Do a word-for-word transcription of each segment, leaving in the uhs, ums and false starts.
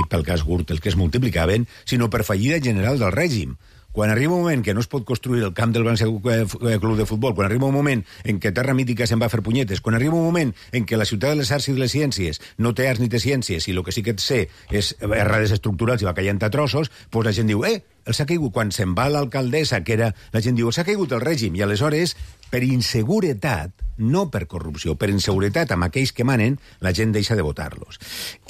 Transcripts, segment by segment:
i pel cas Gürtel, que es multiplicaven, sinó per fallida general del règim. Quan arriba un moment que no es pot construir el camp del València Club de Futbol, quan arriba un moment en què Terra Mítica se'n va a fer punyetes, quan arriba un moment en què la ciutat de les arts i de les ciències no té arts ni té ciències i el que sí que sé és errades estructurals i va caient a trossos, doncs la gent diu, eh, els ha caigut. Quan se'n va l'alcaldessa, que era... La gent diu, els ha caigut el règim. I aleshores, per inseguretat, no per corrupció, per inseguretat amb aquells que manen, la gent deixa de votar-los.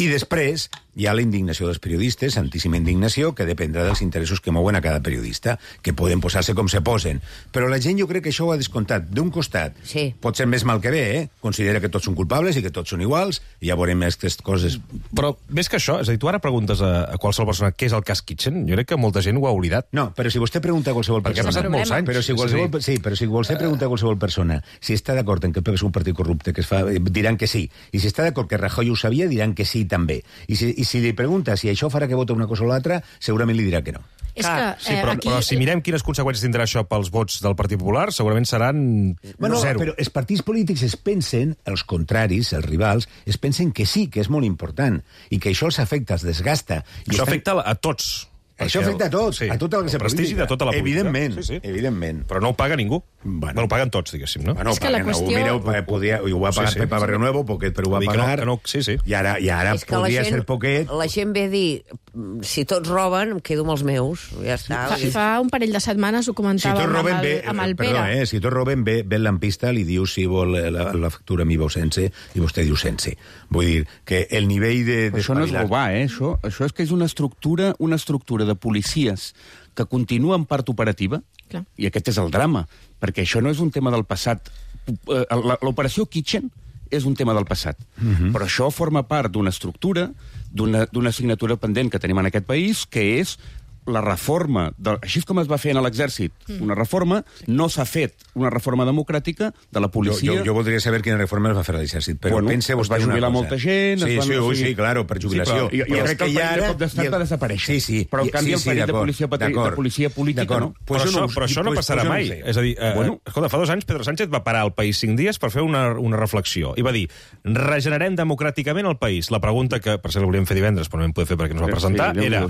I després hi ha la indignació dels periodistes, santíssima indignació, que dependrà dels interessos que mouen a cada periodista, que poden posar-se com se posen. Però la gent jo crec que això ho ha descomptat. D'un costat, sí. Pot ser més mal que bé, eh? Considera que tots són culpables i que tots són iguals, i ja veurem aquestes coses. Però més que això, és a dir, tu ara preguntes a, a qualsevol persona què és el cas Kitchen, jo crec que molta gent ho ha oblidat. No, però si vostè pregunta a qualsevol persona... Perquè ha passat molts anys. Però si qualsevol, sí, però si vostè pregunta a qualsevol persona si està d'acord en que el P P és un partit corrupte, que es fa, diran que sí. I si està d'acord que Rajoy ho sabia, diran que sí també. I si, i si li pregunta si això farà que vota una cosa o l'altra, segurament li dirà que no. És que, eh, sí, però, aquí... però si mirem quines conseqüències tindrà això pels vots del Partit Popular, segurament seran bueno, zero. Però els partits polítics es pensen, els contraris, els rivals, es pensen que sí, que és molt important, i que això els afecta, els desgasta. I això estan... afecta a tots. Això afecta a tots, sí, a tota la classe política. El prestigi de tota la política. Evidentment, sí, sí. evidentment. Però no ho paga ningú. Bueno, bueno ho paguen tots, diguéssim, no? Bueno, és que la qüestió... Mireu, podia, ho va pagar sí, sí. Pepa Barrio Nuevo, Poquet, però ho va pagar. Que no, que no, sí, sí. I ara, i ara podria gent, ser Poquet... La gent ve a dir, si tots roben, em quedo amb els meus. Ja està. Fa, fa un parell de setmanes ho comentàvem si amb, el, bé, amb el Pere. Perdó, eh, si tots roben, ve, ve el lampista, li diu si vol la, la factura mi veu sense, i vostè diu sense. Vull dir que el nivell de... Però això no és robar, eh? Això, això és que és una estructura, una estructura de policies que continua en part operativa, clar. I aquest és el drama, perquè això no és un tema del passat. L'operació Kitchen és un tema del passat, uh-huh. Però això forma part d'una estructura, d'una assignatura pendent que tenim en aquest país, que és la reforma, de, així com es va fer en l'exèrcit, mm. una reforma, no s'ha fet una reforma democràtica de la policia... Jo, jo, jo voldria saber quina reforma es va fer a l'exèrcit, però bueno, pense vostè es va jubilar una cosa. molta gent... Sí, es van, sí, o sí, sigui... sí, claro, per jubilació. Sí, però, jo, jo crec que el parell de cop d'estat va desaparèixer. Sí, sí. Però, en canvi, sí, sí, el parell de policia, de policia política, no? Però, això, però això no passarà mai. És a dir, eh, bueno. escolta, fa dos anys Pedro Sánchez va parar el país cinc dies per fer una, una reflexió. I va dir, regenerem democràticament el país. La pregunta que, per cert, la volíem fer divendres, però no vam poder fer perquè no es va presentar, sí, era...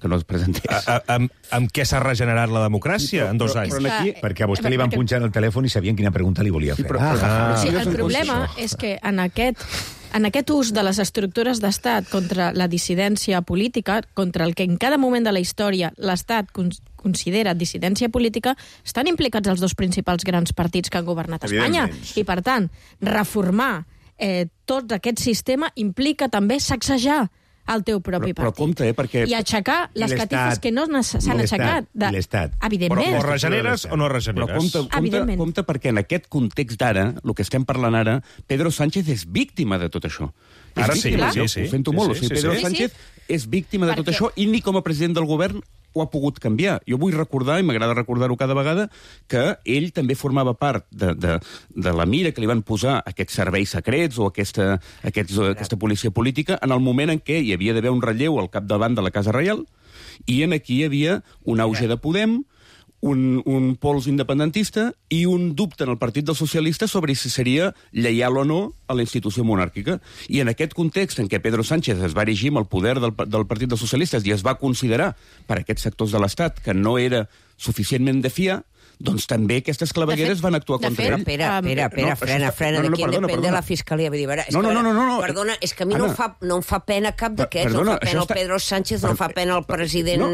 que no es presentés. A, a, amb, amb què s'ha regenerat la democràcia sí, però, en dos anys? Però, però aquí, perquè a vostè li van punxar el telèfon i sabien quina pregunta li volia fer. Sí, però, però, ah, sí, el problema és que en aquest, en aquest ús de les estructures d'estat contra la dissidència política, contra el que en cada moment de la història l'Estat considera dissidència política, estan implicats els dos principals grans partits que han governat Espanya. I, per tant, reformar eh, tot aquest sistema implica també sacsejar el teu propi però, partit. Però compte, eh, perquè... I aixecar les catifes que no s'han aixecat. De... L'Estat. Evidentment. Però o regeneres o no regeneres. Però compte, compte, compte perquè en aquest context d'ara, el que estem parlant ara, Pedro Sánchez és víctima de tot això. Ara sí, sí, sí. Ho sento molt. Sí, sí, o sigui, Pedro sí, Sánchez sí. és víctima de tot perquè... això i ni com a president del govern ho ha pogut canviar. Jo vull recordar, i m'agrada recordar-ho cada vegada, que ell també formava part de, de, de la mira que li van posar aquests serveis secrets o aquesta, aquests, aquesta policia política en el moment en què hi havia d'haver un relleu al capdavant de la Casa Reial i en aquí hi havia un auge de Podem, un, un pols independentista i un dubte en el Partit dels Socialistes sobre si seria lleial o no a la institució monàrquica. I en aquest context en què Pedro Sánchez es va erigir amb el poder del, del Partit dels Socialistes i es va considerar per aquests sectors de l'Estat que no era suficientment de fiar, doncs també aquestes clavegueres van actuar contra ell. Espera, espera, espera, no, frena, frena, no, no, d'aquí perdona, depèn perdona. de la Fiscalia. Vull dir, veure, no, no, no, no, no, perdona, és que a mi Anna, no, em fa, no em fa pena cap d'aquests, no em fa pena el està... Pedro Sánchez, no em fa pena el president no.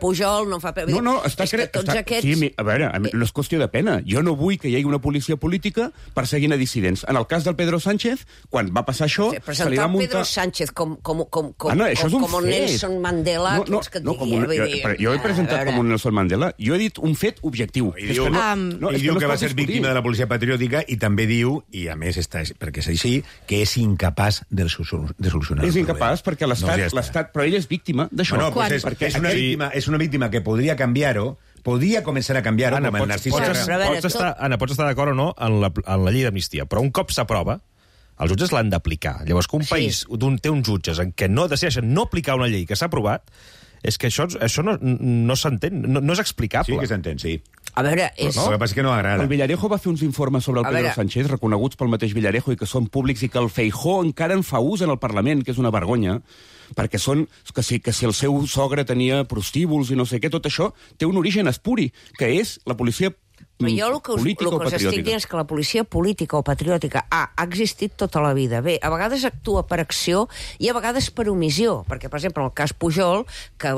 Pujol, no em fa pena... No, no, està... És que tots està... aquests... Sí, a veure, no és qüestió de pena. Jo no vull que hi hagi una policia política perseguint a dissidents. En el cas del Pedro Sánchez, quan va passar això, sí, se li va muntar... Pedro Sánchez com, com, com, com, Anna, això és un com, com fet. Nelson Mandela, no, no, que et no, digui, un, vull jo, dir... jo he presentat com un Nelson Mandela. Jo he dit un fet objectiu. I diu, que no, um, no, i és diu que, que no va ser víctima de la policia patriòtica i també diu, i a més està, perquè és així, que és incapaç de, de solucionar és el incapaç problema. perquè l'Estat... No, ja però ell és víctima d'això. Bueno, pues és, perquè és, una víctima, és una víctima que podria canviar-ho, podria començar a canviar-ho, com el Narcís pots, Serra. pots, pots estar, Anna, pots estar d'acord o no en la, en la llei d'amnistia, però un cop s'aprova, els jutges l'han d'aplicar. Llavors, que un Sí. país un, té uns jutges en què no decideixen no aplicar una llei que s'ha aprovat, És que això, això no, no s'entén, no, no és explicable. Sí que s'entén, sí. A veure, és... No? El que passa és que no agrada. El Villarejo va fer uns informes sobre el A Pedro veure... Sánchez, reconeguts pel mateix Villarejo i que són públics i que el Feijóo encara en fa ús en el Parlament, que és una vergonya, perquè són que si, que si el seu sogre tenia prostíbuls i no sé què, tot això té un origen espuri, que és la policia Però jo el que us, política el o que us estic patriòtica. dient és que la policia política o patriòtica ha, ha existit tota la vida. Bé, a vegades actua per acció i a vegades per omissió, perquè, per exemple, en el cas Pujol, que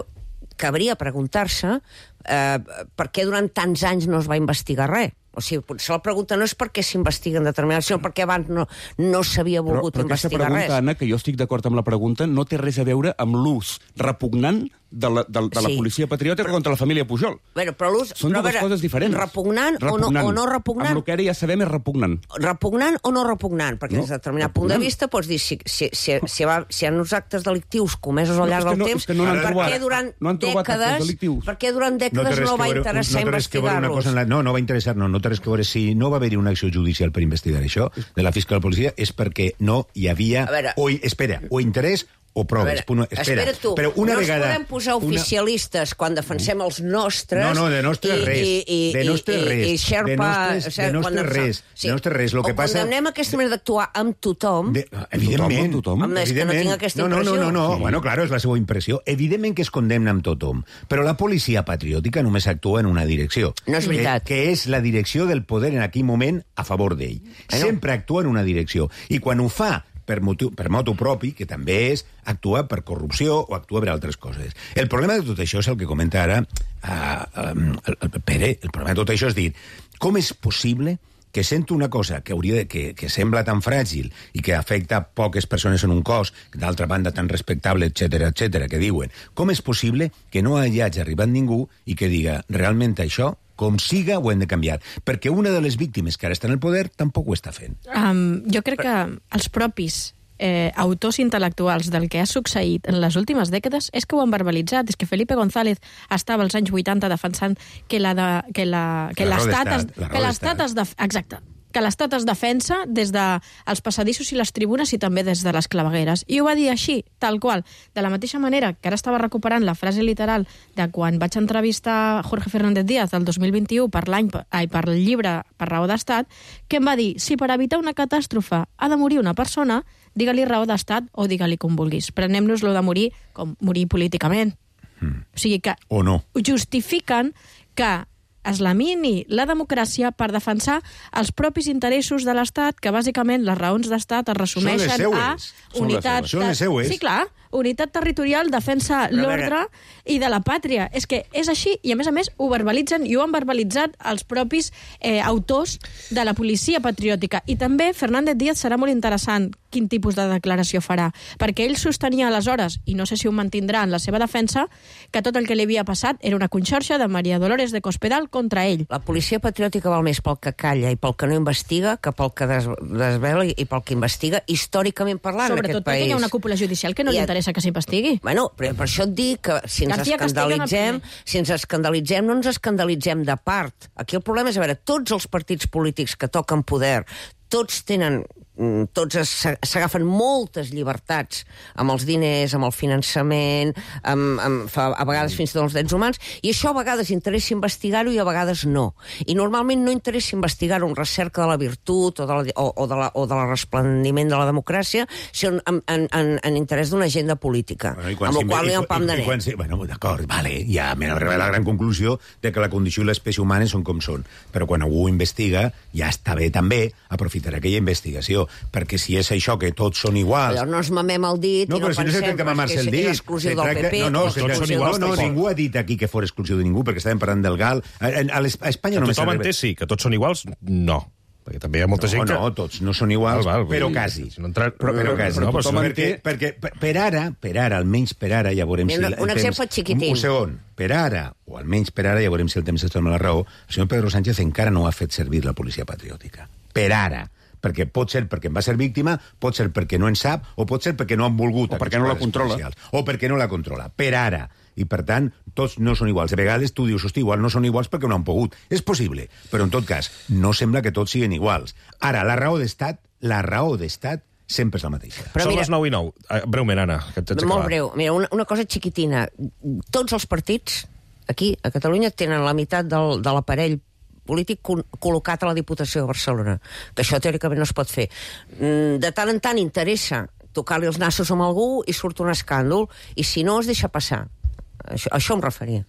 cabria preguntar-se eh, per què durant tants anys no es va investigar res. O sigui, potser la pregunta no és per què s'investiguen determinats, sinó perquè abans no, no s'havia volgut però, però investigar pregunta, res. Anna, que jo estic d'acord amb la pregunta, no té res a veure amb l'ús repugnant de la, de, de la Sí. policia patriòtica Però- contra la família Pujol. Bueno, però l'ús... Són però, a dues veure, coses diferents. Repugnant, repugnant. O, no, o no repugnant? Amb el que ara ja sabem és repugnant. Repugnant o no repugnant? Perquè No, des de determinat punt de repugnant. vista pots dir si, si, si, si, va, si hi ha uns actes delictius comesos al No, llarg és que del no- temps, és que no n'han per trobat. què durant No han trobat actes dècades, delictius. per què durant No té dècades res no, que va veure- interessar no té res que veure una investigar-los? cosa en la... No, no va interessar, no, no té res que veure. Si no va haver-hi una acció judicial per investigar això, de la fiscal policia, és perquè no hi havia... A veure- o, espera, o interès o A proves. veure, Punt, espera, espera tu, però una no vegada... ens podem posar oficialistes quan defensem els nostres... No, no, de nostres i, res. I, i, De nostres i, res. I Sherpa, De nostres- o sigui, de nostres quan defensem- res. De nostres res. Lo que o passa- condemnem aquesta manera d'actuar amb tothom... De, evidentment. Tothom, Home, és que no tinc aquesta no, no, no, impressió. no, no. Sí. Bueno, claro, és la seva impressió. Evidentment que es condemna amb tothom, però la policia patriòtica només actua en una direcció. No és veritat. Que, que és la direcció del poder en aquell moment a favor d'ell. Bueno. Sempre actua en una direcció. I quan ho fa per motiu, per motu propi, que també és actuar per corrupció o actuar per altres coses. El problema de tot això és el que comenta ara uh, um, el, el Pere. El problema de tot això és dir, com és possible que sento una cosa que, hauria de, que, que sembla tan fràgil i que afecta poques persones en un cos, d'altra banda tan respectable, etc etc que diuen, com és possible que no hi hagi arribat ningú i que diga, realment això, com siga, ho hem de canviar? Perquè una de les víctimes que ara està en el poder tampoc ho està fent. Um, jo crec que els propis eh, autors intel·lectuals del que ha succeït en les últimes dècades és que ho han verbalitzat. És que Felipe González estava als anys vuitanta defensant que la de, que la, que La raó l'estat es, d'estat, la raó que l'estat d'estat. es def, exacte, que l'estat es defensa des dels passadissos i les tribunes i també des de les clavegueres. I ho va dir així, tal qual. De la mateixa manera que ara estava recuperant la frase literal de quan vaig entrevistar Jorge Fernández Díaz del dos mil vint-i-u per l'any ai, per el llibre Per raó d'estat, que em va dir, si per evitar una catàstrofe ha de morir una persona, digue-li raó d'estat o digue-li com vulguis. Prenem-nos lo de morir com morir políticament. Mm. O sigui que O no. justifiquen que es lamini la democràcia per defensar els propis interessos de l'Estat, que bàsicament les raons d'Estat es resumeixen Són les a seues. Són unitat... les seues. Són les seues. Sí, clar, unitat territorial, defensa Però a l'ordre i de la pàtria. És que és així, i a més a més ho verbalitzen i ho han verbalitzat els propis eh, autors de la policia patriòtica. I també Fernández Díaz serà molt interessant quin tipus de declaració farà, perquè ell sostenia aleshores, i no sé si ho mantindrà en la seva defensa, que tot el que li havia passat era una conxorxa de Maria Dolores de Cospedal contra ell. La policia patriòtica val més pel que calla i pel que no investiga que pel que des, desvela i pel que investiga, històricament parlant, en Sobretot aquest perquè país. hi ha una cúpula judicial que no I li et- interessa que s'investigui. Bueno, però per això et dic que si ens García Castellón el escandalitzem, primer. si ens escandalitzem, no ens escandalitzem de part. Aquí el problema és, a veure, tots els partits polítics que toquen poder, tots tenen tots s'agafen moltes llibertats amb els diners, amb el finançament, amb, amb, a vegades fins i tot els drets humans, i això a vegades interessa investigar-ho i a vegades no. I normalment no interessa investigar-ho en recerca de la virtut o de la, o, o de la, o de la resplendiment de la democràcia, sinó en, en, en, en interès d'una agenda política, Bueno, amb la qual hi ha un pam de i, i, quan, net. bueno, d'acord, vale, ja m'he arribat a la gran conclusió de que la condició i l'espècie humana són com són. Però quan algú investiga, ja està bé també aprofitar aquella investigació, perquè si és això que tots són iguals... Allò no ens mamem el dit No, i no però si no pensem se tracta de mamar-se el que dit. és exclusiu Se del tracta- P P... No, no, o se tots tracta- són exclusiu iguals, no, no, tampoc. ningú ha dit aquí que fos exclusiu de ningú, perquè estàvem parlant del Gal. A, a, a Espanya Que només... tothom s'arriba- entès, sí, que tots són iguals, no. Perquè també hi ha molta No, gent que... no, tots no són iguals, Val, val, però vull dir, quasi. si no entra- Però, però quasi. No, però tothom si no- perquè, perquè per, per ara, per ara, almenys per ara, ja veurem Mira, si... el un exemple temps- xiquitín. Un segon. Per ara, o almenys per ara, ja veurem si el temps ens dona la raó, el senyor Pedro Sánchez encara no ha fet servir la policia patriòtica. Per ara. Perquè pot ser perquè en va ser víctima, pot ser perquè no en sap, o pot ser perquè no han volgut... O perquè aquests no la quadres controla. policials. O perquè no la controla. Per ara. I, per tant, tots no són iguals. A vegades tu dius, hosti, igual no són iguals perquè no han pogut. És possible, però en tot cas, no sembla que tots siguin iguals. Ara, la raó d'estat, la raó d'estat sempre és la mateixa. Però Són mira, les nou i nou. Breument, Anna, que et molt breu. Mira, una, una cosa xiquitina. Tots els partits aquí, a Catalunya, tenen la meitat del, de l'aparell polític col·locat a la Diputació de Barcelona, que això teòricament no es pot fer. De tant en tant interessa tocar-li els nassos amb algú i surt un escàndol, i si no es deixa passar. Això, això em referia.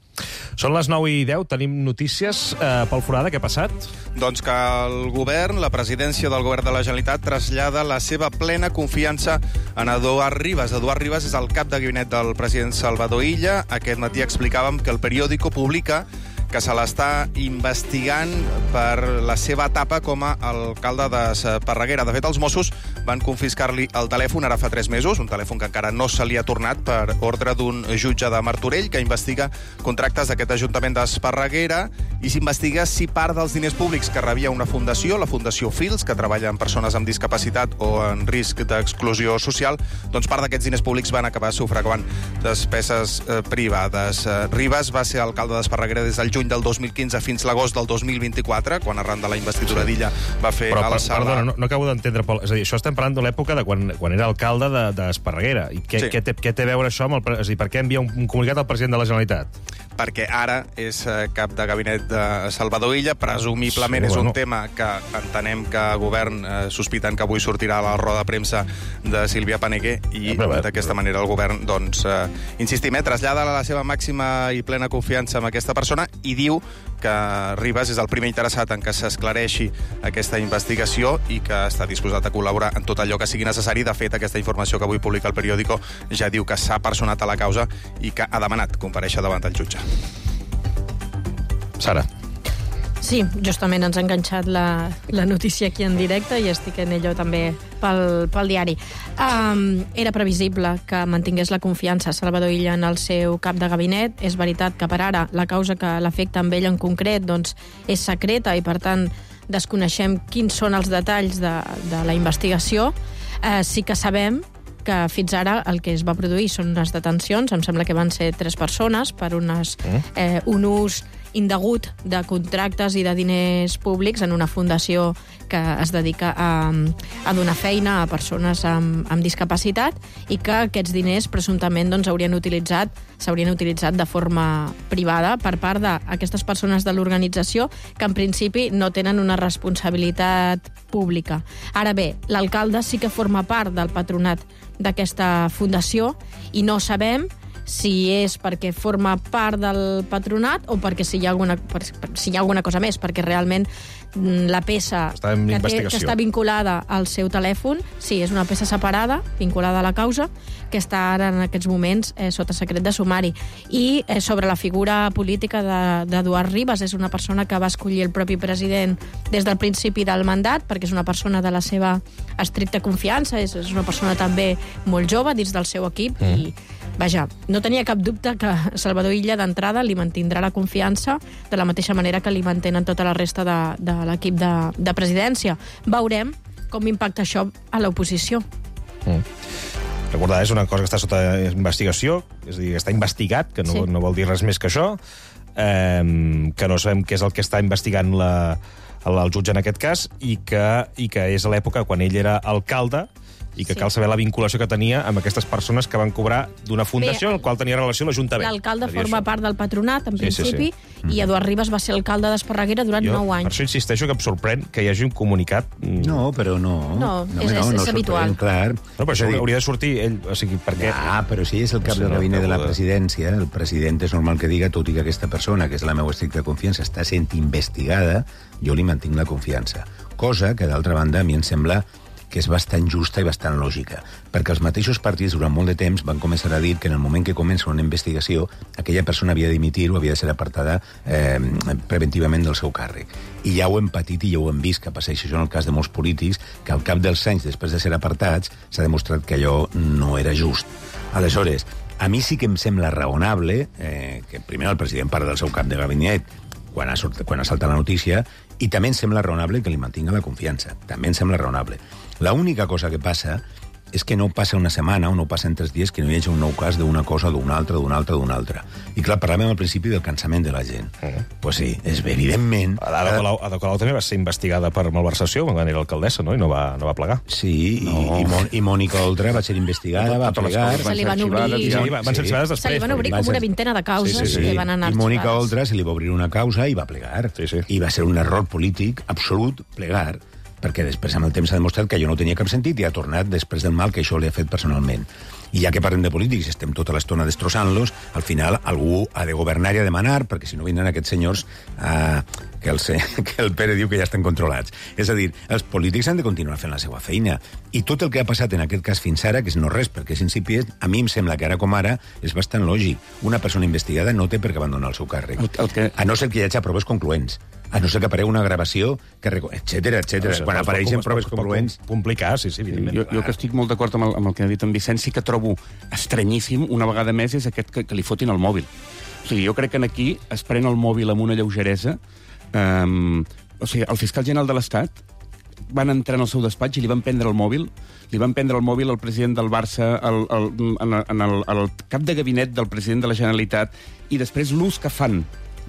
Són les nou i deu, tenim notícies. Eh, Pol Forada, què ha passat? Doncs que el govern, la presidència del govern de la Generalitat, trasllada la seva plena confiança en Eduard Rivas. Eduard Rivas és el cap de gabinet del president Salvador Illa. Aquest matí explicàvem que el periòdico publica que se l'està investigant per la seva etapa com a alcalde d'Esparreguera. De fet, els Mossos van confiscar-li el telèfon ara fa tres mesos, un telèfon que encara no se li ha tornat per ordre d'un jutge de Martorell que investiga contractes d'aquest Ajuntament d'Esparreguera i s'investiga si part dels diners públics que rebia una fundació, la Fundació Fils, que treballa amb persones amb discapacitat o en risc d'exclusió social, doncs part d'aquests diners públics van acabar sufragant despeses eh, privades. Eh, Rivas va ser alcalde d'Esparreguera des del juny del dos mil quinze fins l'agost del dos mil vint-i-quatre, quan arran de la investidura d'Illa va fer Però, el sala... Perdona, no, no acabo d'entendre, Pol. És a dir, això estem parlant de l'època de quan, quan era alcalde d'Esparreguera. De, I què, sí. què, té, què té a veure això amb el... És a dir, per què envia un, un comunicat al president de la Generalitat? Perquè ara és cap de gabinet de Salvador Illa, presumiblement sí, és un bueno. tema que entenem que el govern eh, sospiten que avui sortirà a la roda de premsa de Sílvia Paneguer i d'aquesta manera el govern, doncs, eh, insistim, eh, trasllada la seva màxima i plena confiança en aquesta persona i diu que Rivas és el primer interessat en que s'esclareixi aquesta investigació i que està disposat a col·laborar en tot allò que sigui necessari. De fet, aquesta informació que avui publica el periòdico ja diu que s'ha personat a la causa i que ha demanat comparèixer davant el jutge. Sara. Sí, justament ens ha enganxat la, la notícia aquí en directe i estic en ello també pel, pel diari. Um, era previsible que mantingués la confiança Salvador Illa en el seu cap de gabinet. És veritat que per ara la causa que l'afecta amb ell en concret doncs, és secreta i per tant desconeixem quins són els detalls de, de la investigació. Uh, sí que sabem que fins ara el que es va produir són unes detencions, em sembla que van ser tres persones per unes, eh, un ús indegut de contractes i de diners públics en una fundació que es dedica a, a donar feina a persones amb, amb discapacitat i que aquests diners presumptament doncs, haurien utilitzat s'haurien utilitzat de forma privada per part d'aquestes persones de l'organització que en principi no tenen una responsabilitat pública. Ara bé, l'alcalde sí que forma part del patronat d'aquesta fundació i no sabem si és perquè forma part del patronat o perquè si hi ha alguna, si hi ha alguna cosa més, perquè realment la peça està que, té, que està vinculada al seu telèfon, sí, és una peça separada, vinculada a la causa, que està ara en aquests moments eh, sota secret de sumari. I eh, sobre la figura política d'Eduard de, Rivas, és una persona que va escollir el propi president des del principi del mandat, perquè és una persona de la seva estricta confiança, és, és una persona també molt jove dins del seu equip mm. i vaja, no tenia cap dubte que Salvador Illa d'entrada li mantindrà la confiança de la mateixa manera que li mantenen tota la resta de, de l'equip de, de presidència. Veurem com impacta això a l'oposició. Mm. Recordar, és una cosa que està sota investigació, és a dir, està investigat, que no, sí. no vol dir res més que això, eh, que no sabem què és el que està investigant la, el, el jutge en aquest cas, i que, i que és a l'època quan ell era alcalde, i que sí. cal saber la vinculació que tenia amb aquestes persones que van cobrar d'una fundació en la qual tenia relació l'Ajuntament. L'alcalde forma això. part del patronat, en sí, principi, sí, sí. i Eduard Rivas va ser alcalde d'Esparreguera durant jo, nou anys. Per això insisteixo que em sorprèn que hi hagi un comunicat... No, però no. No, no és, no, és, no és habitual. Clar. No, però això dir... hauria de sortir ell, o sigui, per què? Ah, però si és el cap no sé, de gabinet de la presidència, el president és normal que diga, tot i que aquesta persona, que és la meva estricta confiança, està sent investigada, jo li mantinc la confiança. Cosa que, d'altra banda, a mi em sembla que és bastant justa i bastant lògica, perquè els mateixos partits durant molt de temps van començar a dir que en el moment que comença una investigació aquella persona havia d'imitir o havia de ser apartada eh, preventivament del seu càrrec. I ja ho hem patit i ja ho hem vist, que passeix això en el cas de molts polítics, que al cap dels anys, després de ser apartats, s'ha demostrat que allò no era just. Aleshores, a mi sí que em sembla raonable eh, que primer el president parla del seu cap de gabinet quan ha, sort, quan ha saltat la notícia, i també em sembla raonable que li mantinga la confiança. També em sembla raonable. L'única cosa que passa és que no passa una setmana o no passen tres dies que no hi hagi un nou cas d'una cosa, d'una altra, d'una altra, d'una altra. I clar, parlàvem al principi del cansament de la gent. Uh-huh. Pues sí, és evidentment... Ada Colau, Ada Colau també va ser investigada per malversació quan era alcaldessa, no? I no va, no va plegar. Sí, no. i, i, Mon, i Mònica Oltra va ser investigada, va plegar... Se li van obrir... Sí, van ser arxivades després. Se li van obrir com una vintena de causes sí, sí, sí. que van anar arxivades. I Mònica arxivades. Oltra se li va obrir una causa i va plegar. Sí, sí. I va ser un error polític absolut plegar, perquè després amb el temps s'ha demostrat que allò no tenia cap sentit i ha tornat després del mal que això li ha fet personalment. I ja que parlem de polítics, estem tota l'estona destrossant-los, al final algú ha de governar i a demanar, perquè si no vindran aquests senyors eh, que, el, que el Pere diu que ja estan controlats. És a dir, els polítics han de continuar fent la seva feina. I tot el que ha passat en aquest cas fins ara, que és no res, perquè és incipient, a mi em sembla que ara com ara és bastant lògic. Una persona investigada no té per què abandonar el seu càrrec. El, el que... A no ser que hi hagi proves concloents. A no ser que aparegui una gravació, que etcètera, etcètera. Quan apareixen proves concloents... Complicar, sí, sí, evidentment. Jo, jo que estic molt d'acord amb, el, amb el que ha dit en Vicenç, sí que trobo estranyíssim, una vegada més, és aquest que, que li fotin el mòbil. O sigui, jo crec que aquí es pren el mòbil amb una lleugeresa. Um, o sigui, el fiscal general de l'Estat van entrar en el seu despatx i li van prendre el mòbil, li van prendre el mòbil al president del Barça, el, el, en, en el, el cap de gabinet del president de la Generalitat, i després l'ús que fan,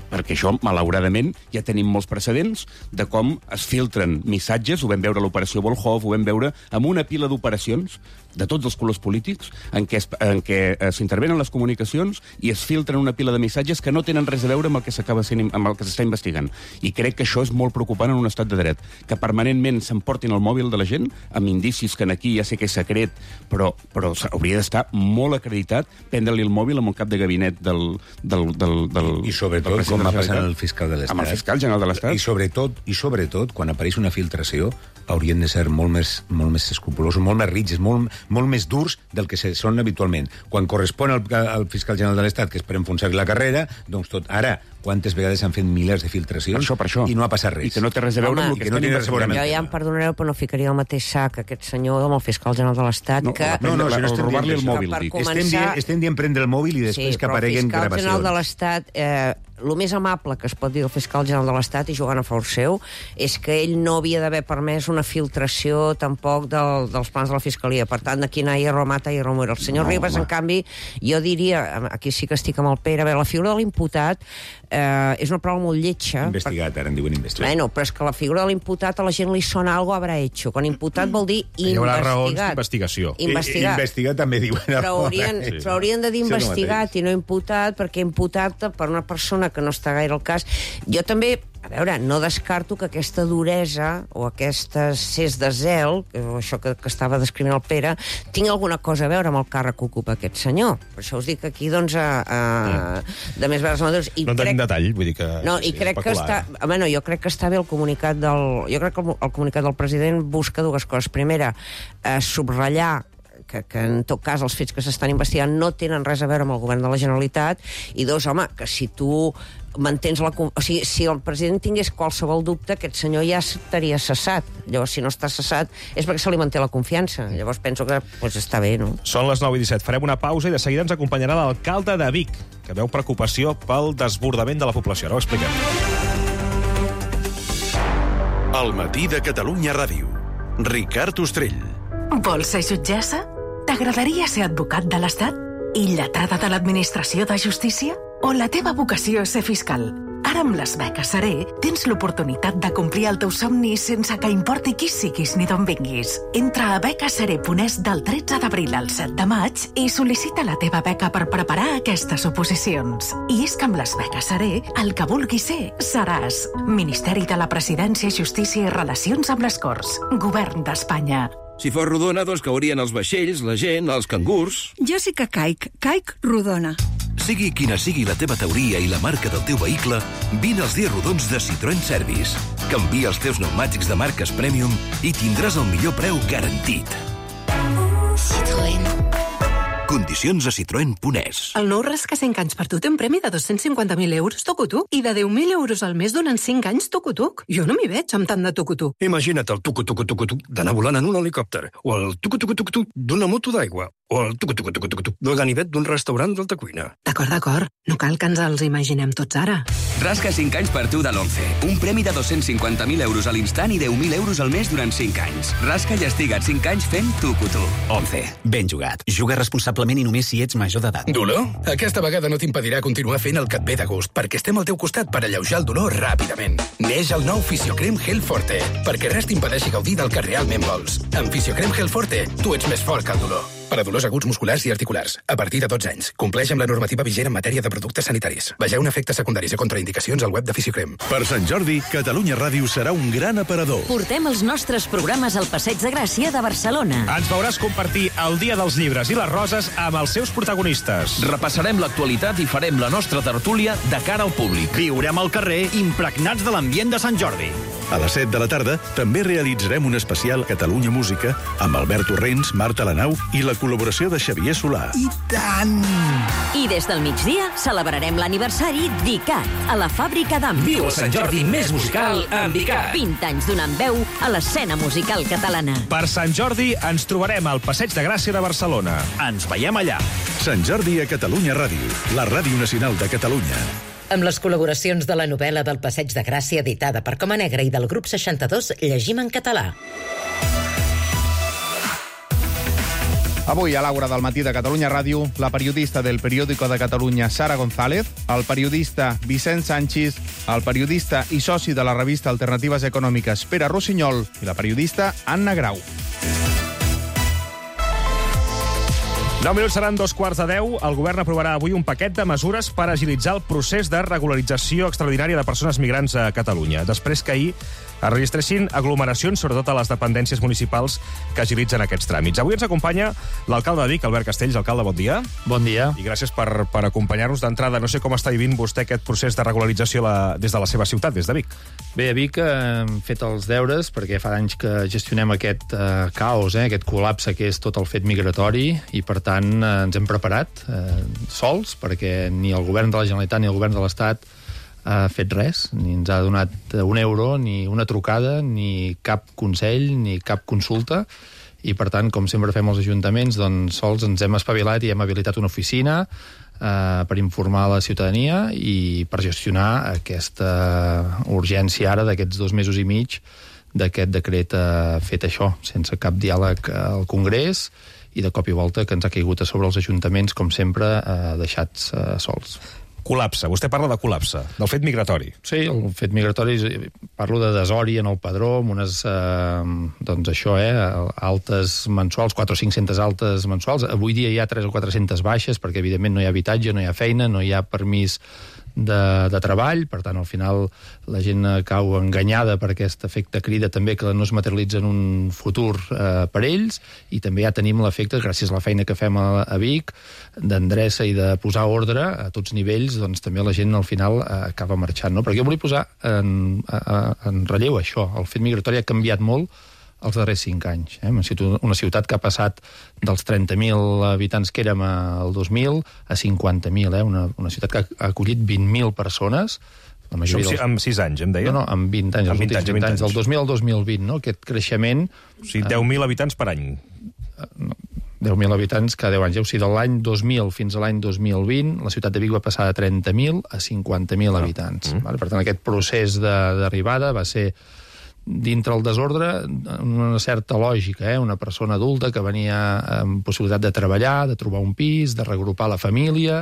perquè això, malauradament, ja tenim molts precedents de com es filtren missatges, ho vam veure a l'operació Volhov, ho vam veure amb una pila d'operacions de tots els colors polítics, en què, es, en què s'intervenen les comunicacions i es filtren una pila de missatges que no tenen res a veure amb el que s'acaba sent, amb el que s'està investigant. I crec que això és molt preocupant en un estat de dret, que permanentment s'emportin el mòbil de la gent, amb indicis que aquí ja sé que és secret, però, però hauria d'estar molt acreditat prendre-li el mòbil amb el cap de gabinet del... del, del, del I, i sobretot, del com va passar amb el fiscal de l'Estat. Amb el fiscal general de l'Estat. I sobretot, i sobretot, quan apareix una filtració, haurien de ser molt més, molt més escrupulosos, molt més rígids, molt, molt més durs del que són habitualment. Quan correspon al, al fiscal general de l'Estat, que és per enfonsar-li la carrera, doncs tot. Ara, quantes vegades s'han fet milers de filtracions per això, per això. I no ha passat res. I que no té res a veure Home, amb el que, que no estan investigant. Jo ja em perdonareu, però no ficaria el mateix sac aquest senyor amb el fiscal general de l'Estat, no, que... No, no, no, no estem robar-li el mòbil. Començar... Estem, dient, estem dient prendre el mòbil i després sí, que apareguen gravacions. Sí, però el fiscal general de l'Estat... Eh, el més amable que es pot dir del fiscal general de l'Estat, i jugant a favor seu, és que ell no havia d'haver permès una filtració tampoc del, dels plans de la Fiscalia. Per tant, aquí no hi ha romata i romero. El senyor no, Ribas, home. En canvi, jo diria, aquí sí que estic amb el Pere, a veure, la figura de l'imputat eh, és una prova molt lletja. Investigat, ara en diuen investigat. Bueno, però és que la figura de l'imputat a la gent li sona algo habrà hecho. Quan imputat vol dir investigat. Hi haurà raons d'investigació. Investigat. Investigat també diuen. Però haurien, sí. però haurien de dir investigat i no imputat, perquè imputat per una persona que no està gaire al cas. Jo també, a veure, no descarto que aquesta duresa o aquest excés de zel, o això que, que estava descrivint el Pere, tingui alguna cosa a veure amb el càrrec que ocupa aquest senyor. Per això us dic aquí, doncs, a, a, de més vegades madures. I no crec, tenim detall, vull dir que... No, i crec que està... Bueno, jo crec que està bé el comunicat del... Jo crec que el, el comunicat del president busca dues coses. Primera, eh, subratllar Que, que en tot cas els fets que s'estan investigant no tenen res a veure amb el govern de la Generalitat, i dos, home, que si tu mantens la... O sigui, si el president tingués qualsevol dubte, aquest senyor ja estaria cessat. Llavors, si no està cessat, és perquè se li manté la confiança. Llavors penso que pues, està bé, no? Són les nou i disset. Farem una pausa i de seguida ens acompanyarà l'alcalde de Vic, que veu preocupació pel desbordament de la població. Ara ho expliquem. Al matí de Catalunya Ràdio. Ricard Ostrell. Vols ser jutgessa? T'agradaria ser advocat de l'Estat? I lletrada de l'Administració de Justícia? O la teva vocació és ser fiscal? Ara amb les beques Seré tens l'oportunitat de complir el teu somni sense que importi qui siguis ni d'on vinguis. Entra a beques seré punt es del tretze d'abril al set de maig i sol·licita la teva beca per preparar aquestes oposicions. I és que amb les beques Seré, el que vulguis ser, seràs. Ministeri de la Presidència, Justícia i Relacions amb les Corts. Govern d'Espanya. Si fos rodona, doncs caurien els vaixells, la gent, els cangurs... Jo sí que caic. Caic rodona. Sigui quina sigui la teva teoria i la marca del teu vehicle, vine als dies rodons de Citroën Service. Canvia els teus pneumàtics de marques Premium i tindràs el millor preu garantit. Citroën. Condicions a citroen punt es. El nou Rasca cinc anys per tu té un premi de dos-cents cinquanta mil euros tucutuc i de deu mil euros al mes durant cinc anys tucutuc. Jo no m'hi veig amb tant de tucutuc. Imagina't el tucu-tucu-tucu-tuc d'anar volant en un helicòpter, o el tucu-tucu-tucu-tuc d'una moto d'aigua, o el tucu-tucu-tucu-tuc del ganivet d'un restaurant d'alta cuina. D'acord, d'acord. No cal que ens els imaginem tots ara. Rasca cinc anys per tu de l'Once. Un premi de dos-cents cinquanta mil euros a l'instant i deu mil euros al mes durant cinc anys. Rasca i estiga't cinc anys fent tucu-tu. Once. Ben jugat. Juga responsablement i només si ets major d'edat. Dolor? Aquesta vegada no t'impedirà continuar fent el que et ve de gust, perquè estem al teu costat per alleujar el dolor ràpidament. Neix el nou Fisiocrem Gel Forte, perquè res t'impedeixi gaudir del que realment vols. Amb Fisiocrem Gel Forte, tu ets més fort que el dolor. Per a dolors aguts musculars i articulars, a partir de dotze anys. Compleix amb la normativa vigent en matèria de productes sanitaris. Vegeu efectes secundaris i contraindicacions al web de Fisiocrem. Per Sant Jordi, Catalunya Ràdio serà un gran aparador. Portem els nostres programes al Passeig de Gràcia de Barcelona. Ens veuràs compartir el Dia dels Llibres i les Roses amb els seus protagonistes. Repassarem l'actualitat i farem la nostra tertúlia de cara al públic. Viurem al carrer impregnats de l'ambient de Sant Jordi. A les set de la tarda també realitzarem un especial Catalunya Música amb Albert Torrents, Marta Lanau i la col·laboració de Xavier Solà. I tant! I des del migdia celebrarem l'aniversari d'ICAT a la fàbrica d'Am. Viu el Sant Jordi més musical amb ICAT. vint anys donant veu a l'escena musical catalana. Per Sant Jordi ens trobarem al Passeig de Gràcia de Barcelona. Ens veiem allà. Sant Jordi a Catalunya Ràdio, la ràdio nacional de Catalunya. Amb les col·laboracions de la novel·la del Passeig de Gràcia editada per Coma Negra i del grup seixanta-dos Llegim en català. Avui, a l'Aura del matí de Catalunya Ràdio, la periodista del Periódico de Catalunya, Sara González, el periodista Vicent Sanchis, el periodista i soci de la revista Alternatives Econòmiques, Pere Rossinyol, i la periodista Anna Grau. nou minuts seran dos quarts de deu. El govern aprovarà avui un paquet de mesures per agilitzar el procés de regularització extraordinària de persones migrants a Catalunya, després que ahir es registressin aglomeracions, sobretot a les dependències municipals que agilitzen aquests tràmits. Avui ens acompanya l'alcalde de Vic, Albert Castells. Alcalde, bon dia. Bon dia. I gràcies per, per acompanyar-nos d'entrada. No sé com està vivint vostè aquest procés de regularització la, des de la seva ciutat, des de Vic. Bé, a Vic hem fet els deures, perquè fa anys que gestionem aquest eh, caos, eh, aquest col·lapse que és tot el fet migratori, i per tant eh, ens hem preparat eh, sols, perquè ni el govern de la Generalitat ni el govern de l'Estat ha fet res, ni ens ha donat un euro, ni una trucada, ni cap consell, ni cap consulta, i per tant, com sempre fem els ajuntaments, doncs sols ens hem espavilat i hem habilitat una oficina eh, per informar la ciutadania i per gestionar aquesta urgència ara d'aquests dos mesos i mig d'aquest decret eh, fet això, sense cap diàleg al Congrés, i de cop i volta que ens ha caigut a sobre els ajuntaments, com sempre, eh, deixats eh, sols. Col·lapse. Vostè parla de col·lapse, del fet migratori. Sí, el fet migratori, parlo de desori en el padró, amb unes, eh, doncs això, eh, altes mensuals, quatre o cinc-centes altes mensuals. Avui dia hi ha tres o quatre-centes baixes, perquè evidentment no hi ha habitatge, no hi ha feina, no hi ha permís de, de treball, per tant, al final la gent cau enganyada per aquest efecte crida també que no es materialitza en un futur eh, per ells, i també ja tenim l'efecte, gràcies a la feina que fem a, a Vic, d'endreça i de posar ordre a tots nivells, doncs també la gent al final eh, acaba marxant, no? Perquè jo volia posar en, en relleu això, el fet migratori ha canviat molt els darrers cinc anys. Eh? Una ciutat que ha passat dels trenta mil habitants que érem el dos mil a cinquanta mil, eh? una, una ciutat que ha acollit vint mil persones. La majoria dels... Amb sis anys, em deia? No, no, amb vint anys, amb els últims vint anys, del dos mil al dos mil vint, no? Aquest creixement... O sigui, deu mil habitants per any. No, deu mil habitants cada deu anys. O sigui, de l'any dos mil fins a l'any dos mil vint, la ciutat de Vic va passar de trenta mil a cinquanta mil ah. habitants. Mm. Vale? Per tant, aquest procés d'arribada va ser dintre el desordre una certa lògica, eh? Una persona adulta que venia amb possibilitat de treballar, de trobar un pis, de regrupar la família,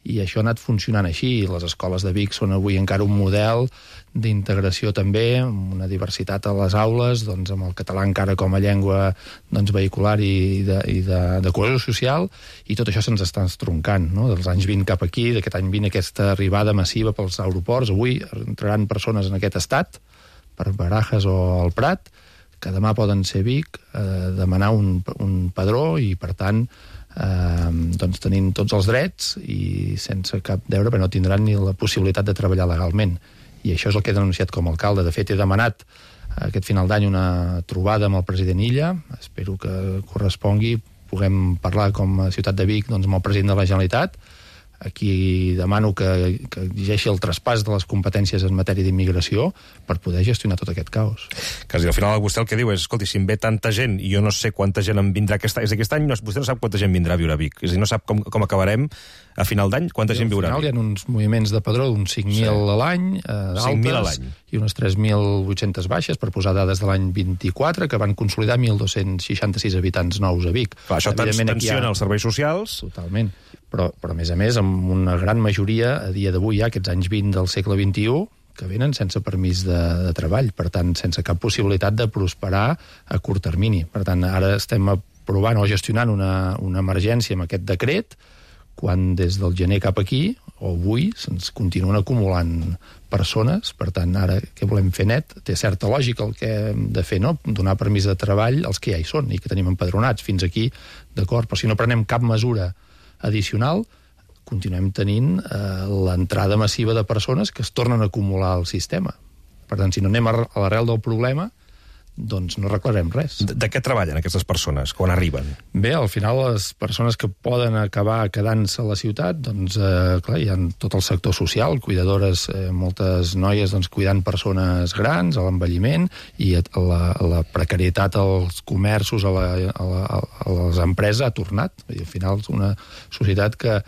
i això ha anat funcionant així. Les escoles de Vic són avui encara un model d'integració també, amb una diversitat a les aules, doncs amb el català encara com a llengua doncs, vehicular i de, i de, de cohesió social, i tot això se'ns està estroncant, no? Dels anys vint cap aquí, d'aquest any vint, aquesta arribada massiva pels aeroports. Avui entraran persones en aquest estat, per Barajas o el Prat, que demà poden ser Vic, eh, demanar un, un padró, i per tant eh, doncs tenint tots els drets i sense cap deure, però no tindran ni la possibilitat de treballar legalment. I això és el que he denunciat com a alcalde. De fet, he demanat aquest final d'any una trobada amb el president Illa, espero que correspongui puguem parlar com a Ciutat de Vic doncs, amb el president de la Generalitat. Aquí demano que, que exigeixi el traspàs de les competències en matèria d'immigració per poder gestionar tot aquest caos. Quasi al final vostè el que diu és, escolti, si em ve tanta gent i jo no sé quanta gent em vindrà aquest any, és aquest any no, vostè no sap quanta gent vindrà a viure a Vic, és a dir, no sap com, com acabarem a final d'any, quanta gent viurà a Vic. Al final hi ha uns moviments de padró d'uns cinc mil sí. a l'any, eh, d'altes, i unes tres mil vuit-centes baixes, per posar dades de l'any vint-i-quatre, que van consolidar mil dos-cents seixanta-sis habitants nous a Vic. Clar, això tensiona ha... els serveis socials. Totalment. Però, però, a més a més, amb una gran majoria, a dia d'avui, ja aquests anys vint del segle vint-i-u, que venen sense permís de, de treball, per tant, sense cap possibilitat de prosperar a curt termini. Per tant, ara estem aprovant o gestionant una, una emergència amb aquest decret, quan des del gener cap aquí, o avui, se'ns continuen acumulant persones. Per tant, ara què volem fer net? Té certa lògica el que hem de fer, no? Donar permís de treball als que ja hi són i que tenim empadronats. Fins aquí, d'acord, però si no prenem cap mesura addicional, continuem tenint eh, l'entrada massiva de persones que es tornen a acumular al sistema. Per tant, si no anem a l'arrel del problema, doncs no arreglarem res. De, de què treballen aquestes persones quan arriben? Bé, al final les persones que poden acabar quedant-se a la ciutat, doncs, eh, clar, hi ha tot el sector social, cuidadores, eh, moltes noies doncs, cuidant persones grans, a l'envelliment, i la, la precarietat als comerços, a, la, a, la, a les empreses ha tornat. I al final és una societat que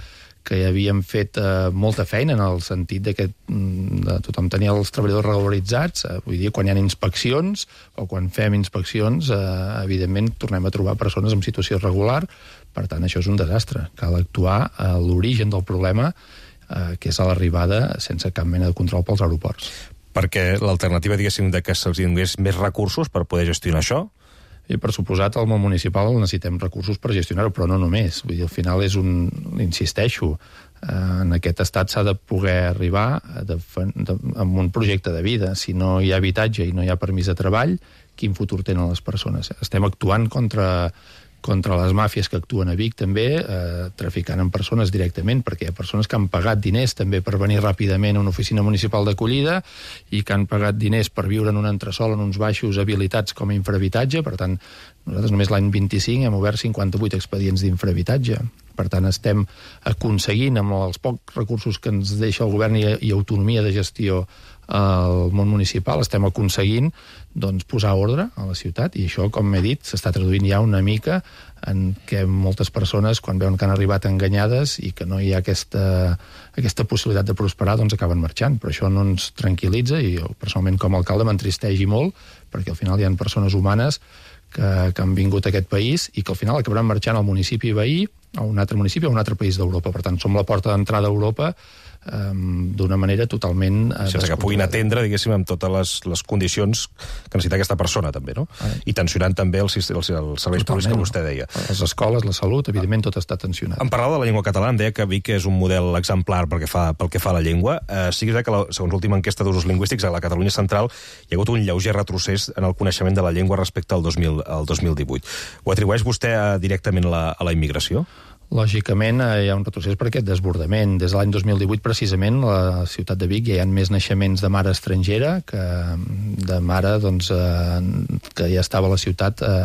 que ja havíem fet eh, molta feina en el sentit de que de tothom tenia els treballadors regularitzats. Eh, vull dir, quan hi ha inspeccions o quan fem inspeccions, eh, evidentment tornem a trobar persones en situació irregular. Per tant, això és un desastre. Cal actuar a l'origen del problema, eh, que és a l'arribada sense cap mena de control pels aeroports. Perquè l'alternativa, diguéssim, de que se'ls donés més recursos per poder gestionar això? I per suposat, al món municipal necessitem recursos per gestionar-ho, però no només. Vull dir, al final és un... Insisteixo, eh, en aquest estat s'ha de poder arribar de, de, amb un projecte de vida. Si no hi ha habitatge i no hi ha permís de treball, quin futur tenen les persones? Estem actuant contra... contra les màfies que actuen a Vic també, eh, traficant amb persones directament, perquè hi ha persones que han pagat diners també per venir ràpidament a una oficina municipal d'acollida i que han pagat diners per viure en un entresòl en uns baixos habilitats com a infrahabitatge. Per tant, nosaltres només l'any vint-i-cinc hem obert cinquanta-vuit expedients d'infrahabitatge. Per tant, estem aconseguint, amb els pocs recursos que ens deixa el govern i, i autonomia de gestió al món municipal, estem aconseguint doncs, posar ordre a la ciutat, i això, com m'he dit, s'està traduint ja una mica en què moltes persones, quan veuen que han arribat enganyades i que no hi ha aquesta, aquesta possibilitat de prosperar, doncs acaben marxant. Però això no ens tranquil·litza, i jo, personalment, com a alcalde, m'entristeix molt, perquè al final hi ha persones humanes que, que han vingut a aquest país i que al final acabaran marxant al municipi veí, a un altre municipi, a un altre país d'Europa. Per tant, som la porta d'entrada a Europa Um, d'una manera totalment... Uh, sense que puguin atendre, diguéssim, amb totes les, les condicions que necessita aquesta persona, també, no? Ah. I tensionant també els, els, els serveis públics que vostè deia. Les escoles, la salut, evidentment, tot està tensionat. Em parlava de la llengua catalana, em deia que Vic és un model exemplar pel que fa, pel que fa a la llengua. Uh, sí que és que, la, segons l'última enquesta d'usos lingüístics, a la Catalunya Central hi ha hagut un lleuger retrocés en el coneixement de la llengua respecte al dos mil, al dos mil divuit. Ho atribueix vostè uh, directament la, a la immigració? Lògicament, hi ha un retrocés per aquest desbordament. Des de l'any dos mil divuit, precisament, a la ciutat de Vic ja hi ha més naixements de mare estrangera que de mare doncs, eh, que ja estava a la ciutat eh,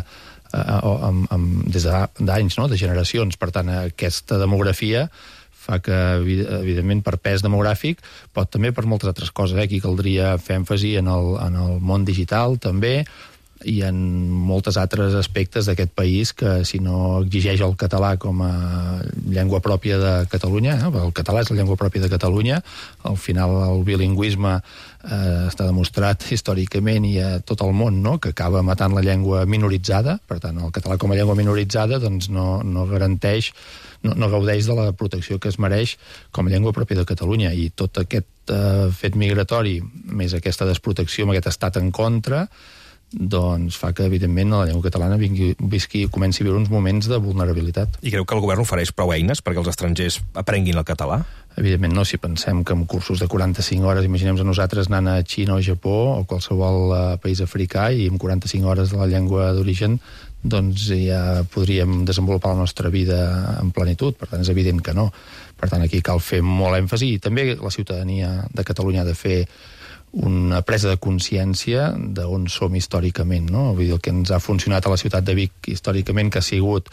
eh, amb, amb, des d'anys, no? De generacions. Per tant, aquesta demografia fa que, evidentment, per pes demogràfic, però també per moltes altres coses. Eh? Aquí caldria fer èmfasi en el, en el món digital, també, i en moltes altres aspectes d'aquest país que, si no exigeix el català com a llengua pròpia de Catalunya, eh? El català és la llengua pròpia de Catalunya, al final el bilingüisme eh, està demostrat històricament i a tot el món, no?, que acaba matant la llengua minoritzada. Per tant, el català com a llengua minoritzada doncs no, no garanteix, no, no gaudeix de la protecció que es mereix com a llengua pròpia de Catalunya, i tot aquest eh, fet migratori, més aquesta desprotecció, amb aquest estat en contra, doncs fa que, evidentment, la llengua catalana vingui, visqui i comenci a viure uns moments de vulnerabilitat. I creu que el govern ofereix prou eines perquè els estrangers aprenguin el català? Evidentment no, si pensem que amb cursos de quaranta-cinc hores, imaginem a nosaltres anant a Xina o Japó o qualsevol uh, país africà, i amb quaranta-cinc hores de la llengua d'origen, doncs ja podríem desenvolupar la nostra vida en plenitud. Per tant, és evident que no. Per tant, aquí cal fer molt èmfasi, i també la ciutadania de Catalunya ha de fer una presa de consciència d'on som històricament, no? Vull dir, el que ens ha funcionat a la ciutat de Vic històricament, que ha sigut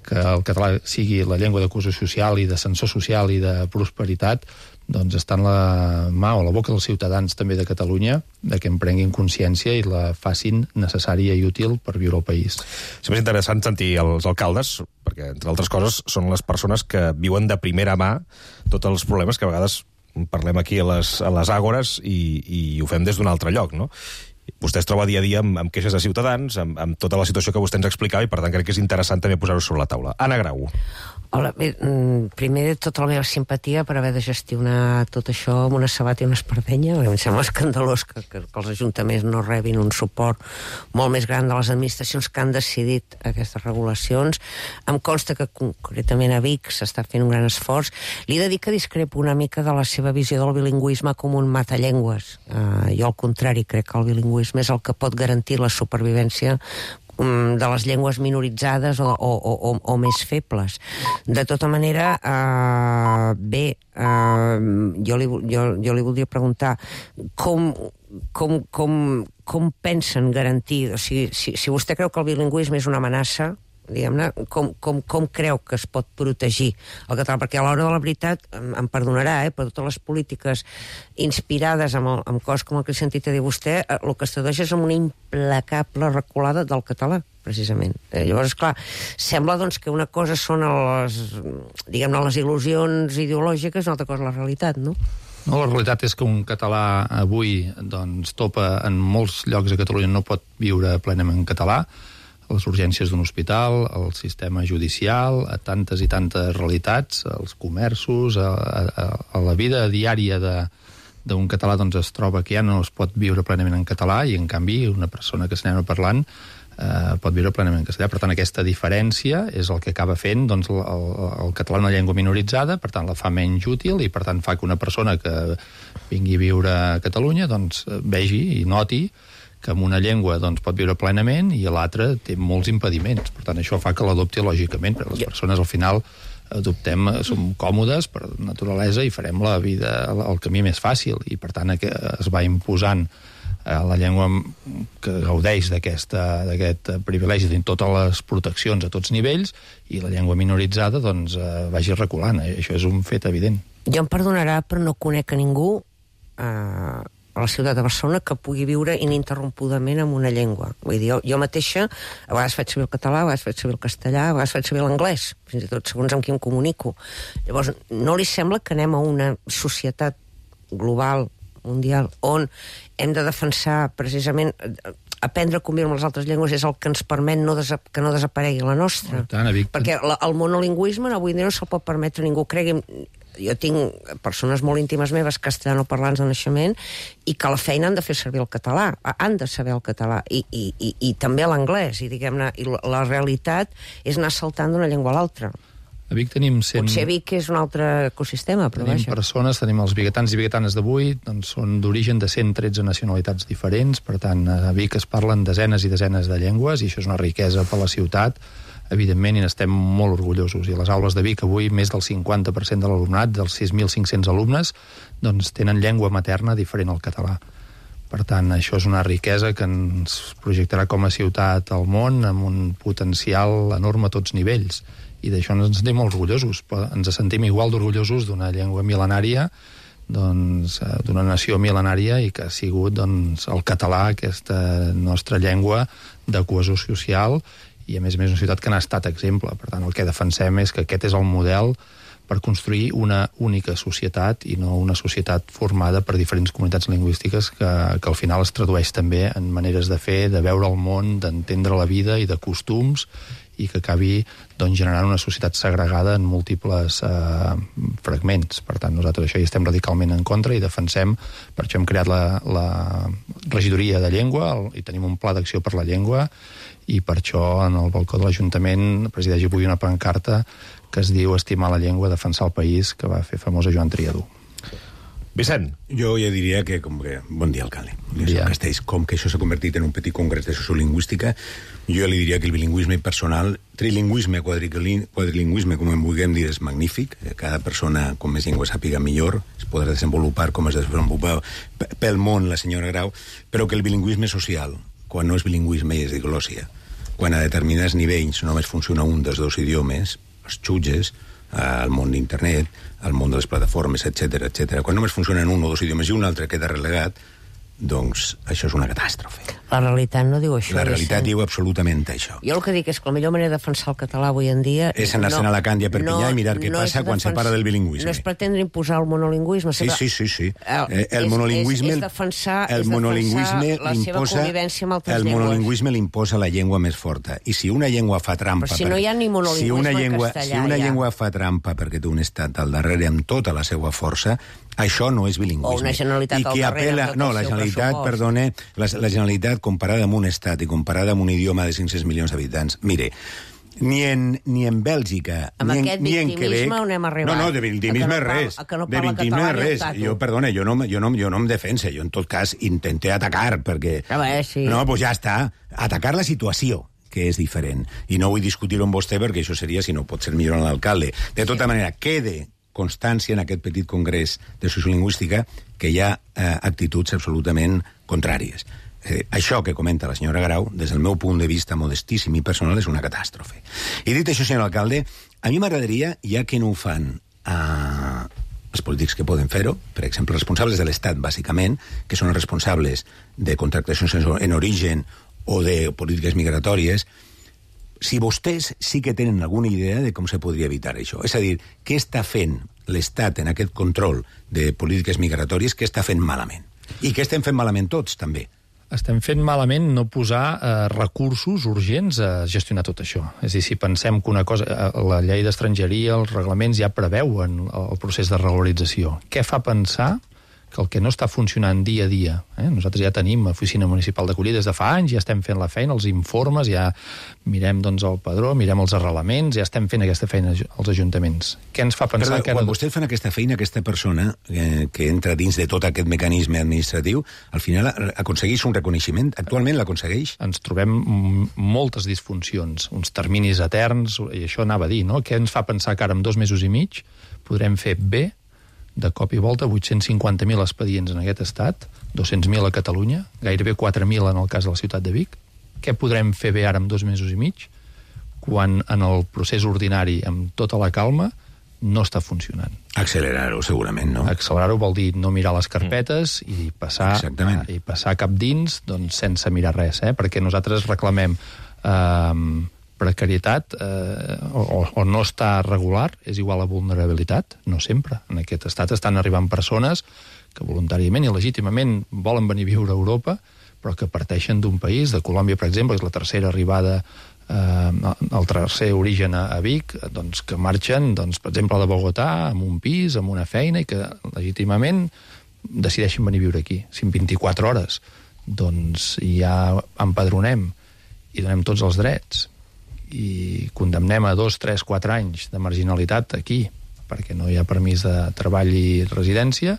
que el català sigui la llengua de cohesió social i d'ascensor social i de prosperitat, doncs està en la mà o la boca dels ciutadans també de Catalunya, de que en prenguin consciència i la facin necessària i útil per viure al país. Sempre és interessant sentir els alcaldes, perquè, entre altres coses, són les persones que viuen de primera mà tots els problemes que a vegades parlem aquí a les, a les àgores i, i ho fem des d'un altre lloc, no? Vostè es troba dia a dia amb, amb queixes de ciutadans, amb, amb tota la situació que vostè ens explicava, i per tant crec que és interessant també posar-ho sobre la taula. Anna Grau. Hola, bé, primer de tota la meva simpatia per haver de gestionar tot això amb una sabata i una espardenya. Em sembla escandalós que, que, que els ajuntaments no rebin un suport molt més gran de les administracions que han decidit aquestes regulacions. Em consta que concretament a Vic s'està fent un gran esforç. Li he de dir que discrepo una mica de la seva visió del bilingüisme com un matallengües. Uh, jo, al contrari, crec que el bilingüisme és el que pot garantir la supervivència de les llengües minoritzades o, o, o, o més febles. De tota manera, eh, bé, eh, jo, li, jo, jo li voldria preguntar com, com, com, com pensen garantir, o sigui, si, si vostè creu que el bilingüisme és una amenaça, diguem-ne, com, com, com creu que es pot protegir el català? Perquè a l'hora de la veritat, em, em perdonarà, eh, per totes les polítiques inspirades amb, el, amb coses com el que he sentit a dir vostè, eh, el que es tradueix és amb una implacable reculada del català, precisament. Eh, llavors, esclar, sembla doncs, que una cosa són les, diguem-ne, les il·lusions ideològiques, una altra cosa la realitat, no? No, la realitat és que un català avui doncs, topa en molts llocs a Catalunya, no pot viure plenament en català, a les urgències d'un hospital, al sistema judicial, a tantes i tantes realitats, als comerços, a, a, a la vida diària d'un català doncs, es troba que ja no es pot viure plenament en català i, en canvi, una persona que s'anem parlant eh, pot viure plenament en castellà. Per tant, aquesta diferència és el que acaba fent doncs, el, el, el català una llengua minoritzada, per tant, la fa menys útil i, per tant, fa que una persona que vingui a viure a Catalunya doncs, vegi i noti que amb una llengua doncs, pot viure plenament i l'altra té molts impediments. Per tant, això fa que l'adopti lògicament, perquè les persones al final adoptem, som còmodes per naturalesa i farem la vida, el camí més fàcil, i per tant es va imposant la llengua que gaudeix d'aquest privilegi de totes les proteccions a tots nivells, i la llengua minoritzada doncs, vagi reculant. Això és un fet evident. Jo em perdonarà, però no conec a ningú eh, a la ciutat de Barcelona que pugui viure ininterrompudament en una llengua. Vull dir, jo, jo mateixa, a vegades faig servir el català, a vegades faig servir el castellà, a vegades faig servir l'anglès, fins i tot segons amb qui em comunico. Llavors, no li sembla que anem a una societat global, mundial, on hem de defensar precisament aprendre a conviure amb les altres llengües és el que ens permet no que no desaparegui la nostra? Tant, perquè la, el monolingüisme avui dia no se'l pot permetre ningú. Cregui'm, jo tinc persones molt íntimes meves castellanoparlants de naixement i que a la feina han de fer servir el català, han de saber el català i, i, i, i també l'anglès, i diguem-ne, i la, la realitat és anar saltant d'una llengua a l'altra. A Vic tenim cent... Potser Vic és un altre ecosistema, però tenim vaja. persones, tenim els biguetans i biguetanes d'avui, doncs són d'origen de cent tretze nacionalitats diferents, per tant, a Vic es parlen desenes i desenes de llengües, i això és una riquesa per la ciutat, evidentment, i n'estem molt orgullosos. I a les aules de Vic avui més del cinquanta per cent de l'alumnat, dels sis mil cinc-cents alumnes, doncs tenen llengua materna diferent al català. Per tant, això és una riquesa que ens projectarà com a ciutat al món amb un potencial enorme a tots nivells. I d'això ens sentim molt orgullosos. Ens sentim igual d'orgullosos d'una llengua mil·lenària, doncs, d'una nació mil·lenària, i que ha sigut doncs, el català, aquesta nostra llengua de cohesió social, i a més a més una ciutat que n'ha estat exemple. Per tant, el que defensem és que aquest és el model per construir una única societat i no una societat formada per diferents comunitats lingüístiques que, que al final es tradueix també en maneres de fer, de veure el món, d'entendre la vida i de costums, i que acabi doncs, generant una societat segregada en múltiples eh, fragments. Per tant, nosaltres això hi estem radicalment en contra i defensem, per això hem creat la, la regidoria de llengua el, i tenim un pla d'acció per la llengua, i per això en el balcó de l'Ajuntament presideix avui una pancarta que es diu Estimar la llengua, defensar el país, que va fer famosa Joan Triadú. Vicent. Jo ja diria que, com que... Bon dia, alcalde. Bon dia. Castells, com que això s'ha convertit en un petit congrés de sociolingüística, jo li diria que el bilingüisme personal, trilingüisme, quadrilingüisme, com en vulguem dir, és magnífic. Cada persona, com més llengua sàpiga, millor. Es podrà desenvolupar com es desenvolupa pel món la senyora Grau, però que el bilingüisme social, quan no és bilingüisme i és diglòssia, quan a determinats nivells només funciona un dels dos idiomes, els jutges, al món d'internet, al món de les plataformes, etcètera, etcètera. Quan només funcionen un o dos idiomes i un altre queda relegat, doncs això és una catàstrofe. La realitat no diu això. La realitat diu absolutament això. Jo el que dic és que la millor manera de defensar el català avui en dia... És anar-se'n no, a Alacant i a Perpinyà no, i mirar què no passa quan se para del bilingüisme. No és pretendre imposar el monolingüisme. Sí, sí, sí. sí. El, eh, el és, monolingüisme... És, és defensar, el és monolingüisme defensar la seva convivència amb altres el llengües. El monolingüisme l'imposa la llengua més forta. I si una llengua fa trampa... Però si no hi ha ni monolingüisme si una llengua, en castellà, Si una ja. llengua fa trampa perquè té un estat al darrere amb tota la seva força, això no és bilingüisme. O una Generalitat I al qui darrere apela, amb tot no, el la seu Generalitat, pressupost. perdone, la, la Generalitat comparada amb un estat i comparada amb un idioma de cinc-cents milions d'habitants, mire, ni en, ni en Bèlgica, amb ni en, aquest ni en Quebec... on hem arribat. No, no, de victimisme no res. Que no de victimisme res. Jo, perdona, jo no, jo, no, jo no em defense, jo en tot cas intenté atacar, perquè... A veure, sí. No, doncs ja està. Atacar la situació, que és diferent. I no vull discutir-ho amb vostè, perquè això seria, si no pot ser millor en l'alcalde. De tota manera, quede constància en aquest petit congrés de sociolingüística que hi ha eh, actituds absolutament contràries. Eh, això que comenta la senyora Grau, des del meu punt de vista modestíssim i personal, és una catàstrofe. I dit això, senyor alcalde, a mi m'agradaria, ja que no ho fan eh, els polítics que poden fer-ho, per exemple, els responsables de l'Estat, bàsicament, que són els responsables de contractacions en origen o de polítiques migratòries, si vostès sí que tenen alguna idea de com se podria evitar això. És a dir, què està fent l'Estat en aquest control de polítiques migratòries, què està fent malament? I què estem fent malament tots, també? Estem fent malament no posar eh, recursos urgents a gestionar tot això. És a dir, si pensem que una cosa... Eh, la llei d'estrangeria, els reglaments ja preveuen el procés de regularització. Què fa pensar que el que no està funcionant dia a dia... Eh? Nosaltres ja tenim Oficina Municipal d'Acollida des de fa anys, ja estem fent la feina, els informes, ja mirem doncs, el padró, mirem els arrelaments, ja estem fent aquesta feina als ajuntaments. Què ens fa pensar... Perdó, que ara... Quan vostès fan aquesta feina, aquesta persona eh, que entra dins de tot aquest mecanisme administratiu, al final aconsegueix un reconeixement? Actualment l'aconsegueix? Ens trobem moltes disfuncions, uns terminis eterns, i això anava a dir, no? Què ens fa pensar que ara, en dos mesos i mig, podrem fer bé de cop i volta vuit-cents cinquanta mil expedients en aquest estat, dos-cents mil a Catalunya, gairebé quatre mil en el cas de la ciutat de Vic. Què podrem fer bé ara en dos mesos i mig quan en el procés ordinari, amb tota la calma, no està funcionant? Accelerar-ho, segurament, no? Accelerar-ho vol dir no mirar les carpetes mm. i, passar, Exactament. i passar cap dins doncs, sense mirar res, eh? Perquè nosaltres reclamem... Eh, precarietat eh, o, o no està regular és igual a vulnerabilitat, no sempre. En aquest estat estan arribant persones que voluntàriament i legítimament volen venir a viure a Europa, però que parteixen d'un país, de Colòmbia, per exemple, és la tercera arribada, eh, el tercer origen a, a Vic, doncs, que marxen, doncs, per exemple, de Bogotà, amb un pis, amb una feina, i que legítimament decideixen venir a viure aquí. Si en vint-i-quatre hores doncs, ja empadronem i donem tots els drets, i condemnem a dos, tres, quatre anys de marginalitat aquí, perquè no hi ha permís de treball i residència,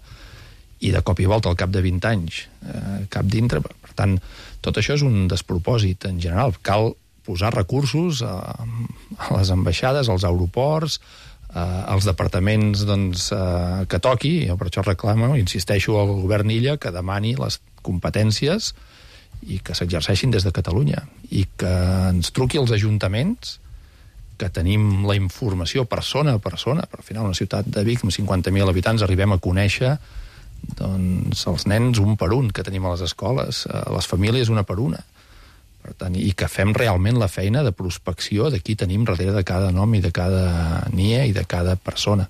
i de cop i volta al cap de vint anys eh, cap dintre. Per tant, tot això és un despropòsit en general. Cal posar recursos a, a les ambaixades, als aeroports, eh, als departaments doncs, eh, que toqui. Jo per això reclamo, insisteixo al govern Illa que demani les competències i que s'exerceixin des de Catalunya, i que ens truqui als ajuntaments, que tenim la informació persona a persona, però al final una ciutat de Vic amb cinquanta mil habitants arribem a conèixer doncs, els nens un per un que tenim a les escoles, les famílies una per una. Per tant, i que fem realment la feina de prospecció de qui tenim darrere de cada nom i de cada N I E i de cada persona.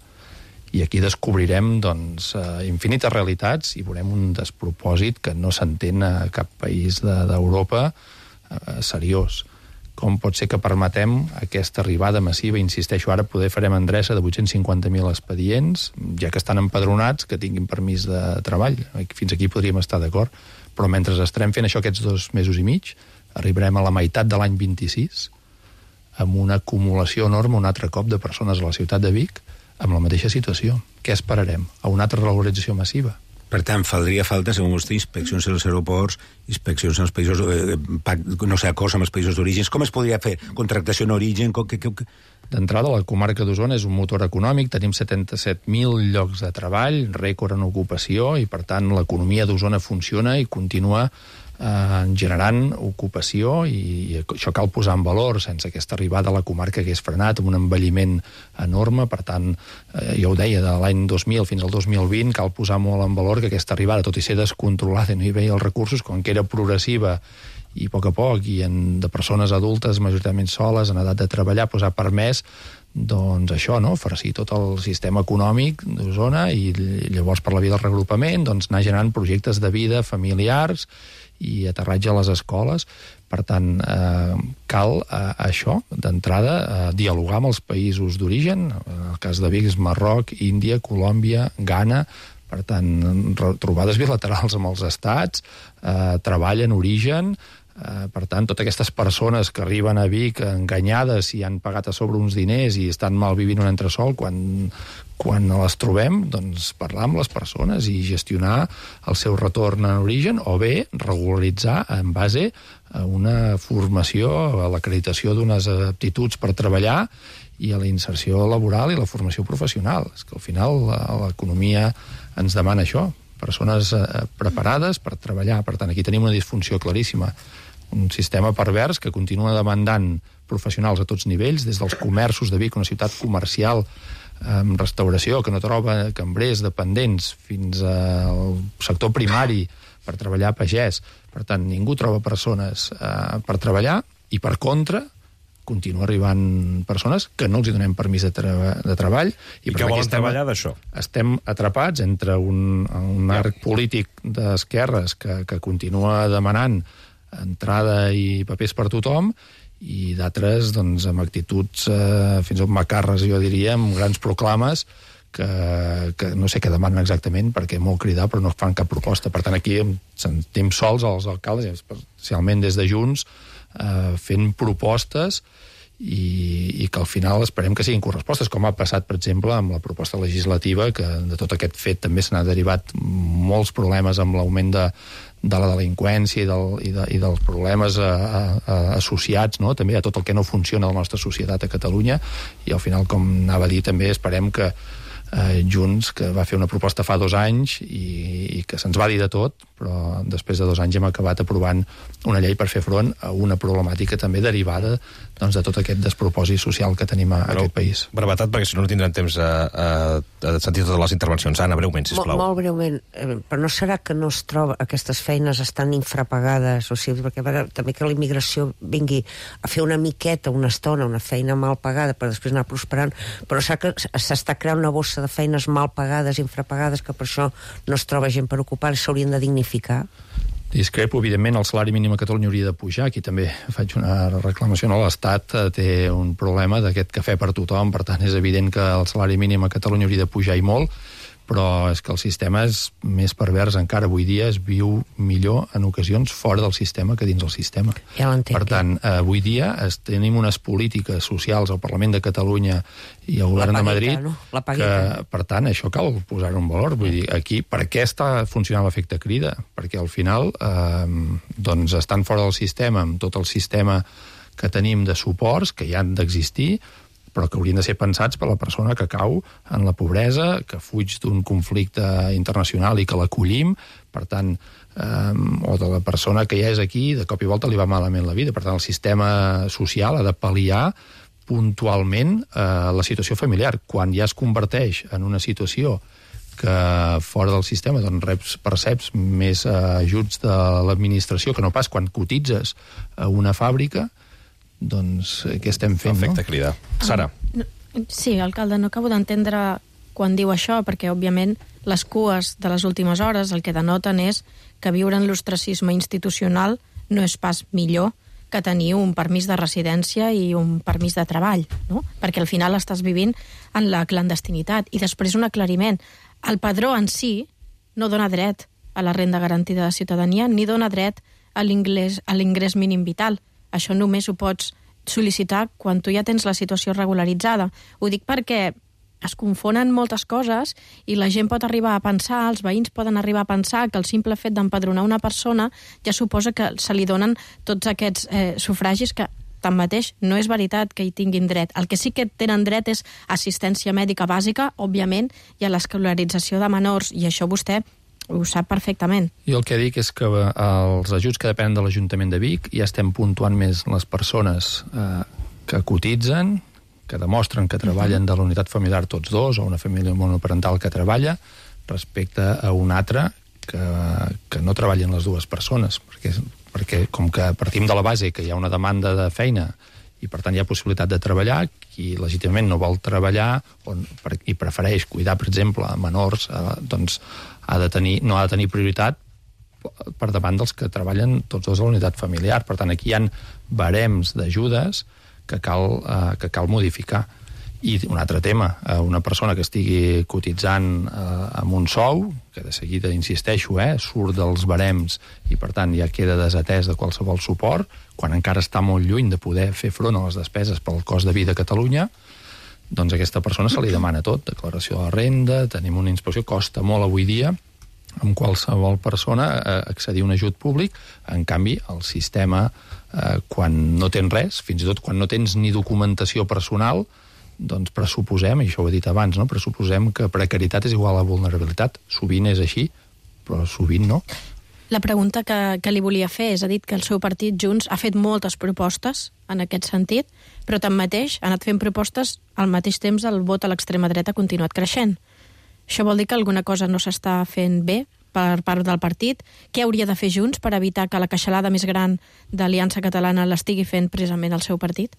I aquí descobrirem doncs, infinites realitats i veurem un despropòsit que no s'entén a cap país d'Europa eh, seriós. Com pot ser que permetem aquesta arribada massiva, insisteixo, ara poder farem endreça de vuit-cents cinquanta mil expedients, ja que estan empadronats, que tinguin permís de treball. Fins aquí podríem estar d'acord, però mentre estarem fent això aquests dos mesos i mig, arribarem a la meitat de l'any vint-i-sis, amb una acumulació enorme un altre cop de persones a la ciutat de Vic, amb la mateixa situació. Què esperarem? A una altra regularització massiva? Per tant, faldria falta, segons vostè, inspeccions als aeroports, inspeccions als països, eh, no sé, acords amb els països d'origen. Com es podria fer? Contractació en origen? Que, que, que... D'entrada, la comarca d'Osona és un motor econòmic, tenim setanta-set mil llocs de treball, rècord en ocupació, i per tant l'economia d'Osona funciona i continua eh, generant ocupació, i, i això cal posar en valor. Sense aquesta arribada a la comarca hagués frenat, amb un envelliment enorme. Per tant, eh, jo ho deia, de l'any dos mil fins al dos mil vint cal posar molt en valor que aquesta arribada, tot i ser descontrolada i no hi veia els recursos, com que era progressiva i a poc a poc, i en, de persones adultes majoritàriament soles, en edat de treballar, doncs ha permès doncs això, no?, farcir tot el sistema econòmic d'Osona, i llavors per la via del regrupament doncs anar generant projectes de vida familiars i aterratge a les escoles. Per tant, eh, cal eh, això, d'entrada, eh, dialogar amb els països d'origen. En el cas de Vic és Marroc, Índia, Colòmbia, Ghana. Per tant, trobades bilaterals amb els estats, eh, treball en origen. Uh, per tant, totes aquestes persones que arriben a Vic enganyades i han pagat a sobre uns diners i estan malvivint un entresòl, quan, quan les trobem, doncs parlar amb les persones i gestionar el seu retorn en origen, o bé regularitzar en base a una formació, a l'acreditació d'unes aptituds per treballar i a la inserció laboral i la formació professional. És que al final l'economia ens demana això, persones uh, preparades per treballar. Per tant, aquí tenim una disfunció claríssima, un sistema pervers que continua demandant professionals a tots nivells, des dels comerços de Vic, una ciutat comercial amb restauració que no troba cambrers dependents, fins al sector primari per treballar pagès. Per tant, ningú troba persones eh, per treballar, i per contra continua arribant persones que no els hi donem permís de, treba de treball. I, I que volen treballar d'això. Estem atrapats entre un, un arc polític d'esquerres que, que continua demanant entrada i papers per tothom, i d'altres doncs, amb actituds eh, fins i tot macarres, jo diria, amb grans proclames que, que no sé què demanen exactament, perquè molt cridar però no fan cap proposta. Per tant, aquí sentim sols els alcaldes, especialment des de Junts, eh, fent propostes i, i que al final esperem que siguin correspostes, com ha passat, per exemple, amb la proposta legislativa, que de tot aquest fet també se n'ha derivat molts problemes amb l'augment de de la delinqüència i, del, i, de, i dels problemes a, a, a, associats, no?, també a tot el que no funciona a la nostra societat a Catalunya. I al final, com anava a dir, també esperem que eh, Junts, que va fer una proposta fa dos anys i, i que se'ns va dir de tot, però després de dos anys hem acabat aprovant una llei per fer front a una problemàtica també derivada doncs, de tot aquest despropòsit social que tenim a, a aquest país. Brevetat, perquè si no no tindrem temps a, a, a sentir totes les intervencions. Anna, breument, sisplau. Molt, molt breument, però no serà que no es troba, aquestes feines estan infrapagades, o sigui, perquè veure, també que la immigració vingui a fer una miqueta, una estona, una feina mal pagada per després anar prosperant, però serà que s'està creant una bossa de feines mal pagades, infrapagades, que per això no es troba gent per ocupar i s'haurien de dignificar? Discrepo, evidentment, el salari mínim a Catalunya hauria de pujar. Aquí també faig una reclamació. No? L'Estat té un problema d'aquest cafè per tothom, per tant és evident que el salari mínim a Catalunya hauria de pujar i molt, però és que el sistema és més pervers encara. Avui dia es viu millor en ocasions fora del sistema que dins el sistema. Ja l'entenc. Per tant, avui dia es, tenim unes polítiques socials al Parlament de Catalunya i al govern de Madrid, no? que, per tant, això cal posar-ho en valor. Vull dir, aquí, per què està funcionant l'efecte crida? Perquè al final eh, doncs estan fora del sistema, amb tot el sistema que tenim de suports, que hi han d'existir, però que haurien de ser pensats per la persona que cau en la pobresa, que fuig d'un conflicte internacional i que l'acollim, per tant, eh, o de la persona que ja és aquí, de cop i volta li va malament la vida. Per tant, el sistema social ha de pal·liar puntualment eh, la situació familiar. Quan ja es converteix en una situació que fora del sistema doncs reps, perceps més eh, ajuts de l'administració que no pas quan cotitzes a una fàbrica, doncs què estem fent, Efecte no? crida. Sara. Ah, no, sí, alcalde, no acabo d'entendre quan diu això, perquè, òbviament, les cues de les últimes hores el que denoten és que viure en l'ostracisme institucional no és pas millor que tenir un permís de residència i un permís de treball, no? Perquè al final estàs vivint en la clandestinitat. I després un aclariment. El padró en si no dona dret a la renda garantida de ciutadania ni dona dret a l'ingrés mínim vital. Això només ho pots sol·licitar quan tu ja tens la situació regularitzada. Ho dic perquè es confonen moltes coses i la gent pot arribar a pensar, els veïns poden arribar a pensar que el simple fet d'empadronar una persona ja suposa que se li donen tots aquests eh, sufragis que Tanmateix, no és veritat que hi tinguin dret. El que sí que tenen dret és assistència mèdica bàsica, òbviament, i a l'escolarització de menors, i això vostè ho sap perfectament. Jo el que dic és que els ajuts que depenen de l'Ajuntament de Vic ja estem puntuant més les persones eh, que cotitzen, que demostren que treballen de la unitat familiar tots dos, o una família monoparental que treballa, respecte a un altre que, que no treballen les dues persones. Perquè, perquè com que partim de la base que hi ha una demanda de feina i per tant hi ha possibilitat de treballar, qui legítimament no vol treballar on, i prefereix cuidar, per exemple, menors, eh, doncs ha de tenir, no ha de tenir prioritat per davant dels que treballen tots dos a la unitat familiar. Per tant, aquí hi ha barems d'ajudes que cal, eh, que cal modificar. I un altre tema, eh, una persona que estigui cotitzant eh, amb un sou, que de seguida, insisteixo, eh, surt dels barems i per tant ja queda desatès de qualsevol suport, quan encara està molt lluny de poder fer front a les despeses pel cost de vida a Catalunya, doncs a aquesta persona se li demana tot, declaració de la renda, tenim una inspecció, costa molt avui dia amb qualsevol persona eh, accedir a un ajut públic. En canvi, el sistema, eh, quan no tens res, fins i tot quan no tens ni documentació personal, doncs pressuposem, i això ho he dit abans, no? pressuposem que precaritat és igual a vulnerabilitat. Sovint és així, però sovint no. La pregunta que, que li volia fer és, ha dit que el seu partit, Junts, ha fet moltes propostes en aquest sentit, però tanmateix ha anat fent propostes al mateix temps el vot a l'extrema dreta ha continuat creixent. Això vol dir que alguna cosa no s'està fent bé per part del partit? Què hauria de fer Junts per evitar que la queixalada més gran d'Aliança Catalana l'estigui fent precisament el seu partit?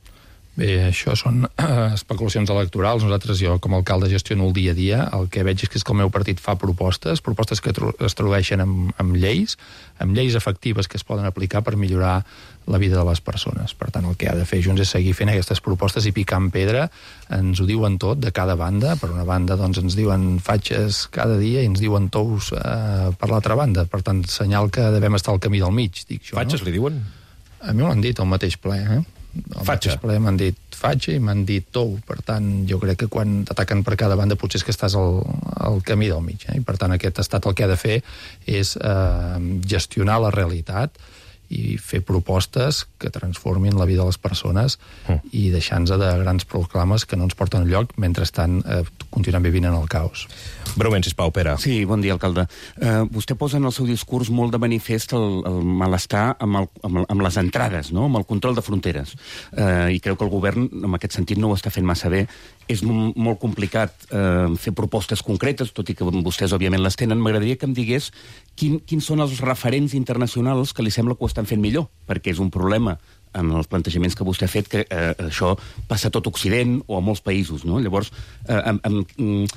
Bé, això són eh, especulacions electorals. Nosaltres, jo com a alcalde gestiono el dia a dia. El que veig és que, és que el meu partit fa propostes, propostes que es tradueixen amb, amb lleis, amb lleis efectives que es poden aplicar per millorar la vida de les persones. Per tant, el que ha de fer Junts és seguir fent aquestes propostes i picar en pedra. Ens ho diuen tot, de cada banda. Per una banda, doncs, ens diuen fatxes cada dia i ens diuen tous eh, per l'altra banda. Per tant, senyal que devem estar al camí del mig, dic jo. Fatxes, no? Li diuen? A mi m'ho han dit al mateix ple, eh? Al Fatxa. mateix ple m'han dit fatxa i m'han dit tou. Per tant, jo crec que quan t'ataquen per cada banda potser és que estàs al, al camí del mig. Eh? I per tant, aquest estat el que ha de fer és eh, gestionar la realitat i fer propostes que transformin la vida de les persones mm. i deixar-nos de grans proclames que no ens porten enlloc, mentrestant eh, continuem vivint en el caos. Breument, sisplau, Pere. Sí, bon dia, alcalde. Uh, vostè posa en el seu discurs molt de manifest el, el malestar amb, el, amb, el, amb les entrades, no? Amb el control de fronteres. Uh, I creu que el govern, en aquest sentit, no ho està fent massa bé. És m- molt complicat uh, fer propostes concretes, tot i que vostès, òbviament, les tenen. M'agradaria que em digués quin, quins són els referents internacionals que li sembla que ho estan fent millor, perquè és un problema en els plantejaments que vostè ha fet, que eh, això passa a tot Occident o a molts països, no? Llavors, eh, amb, amb,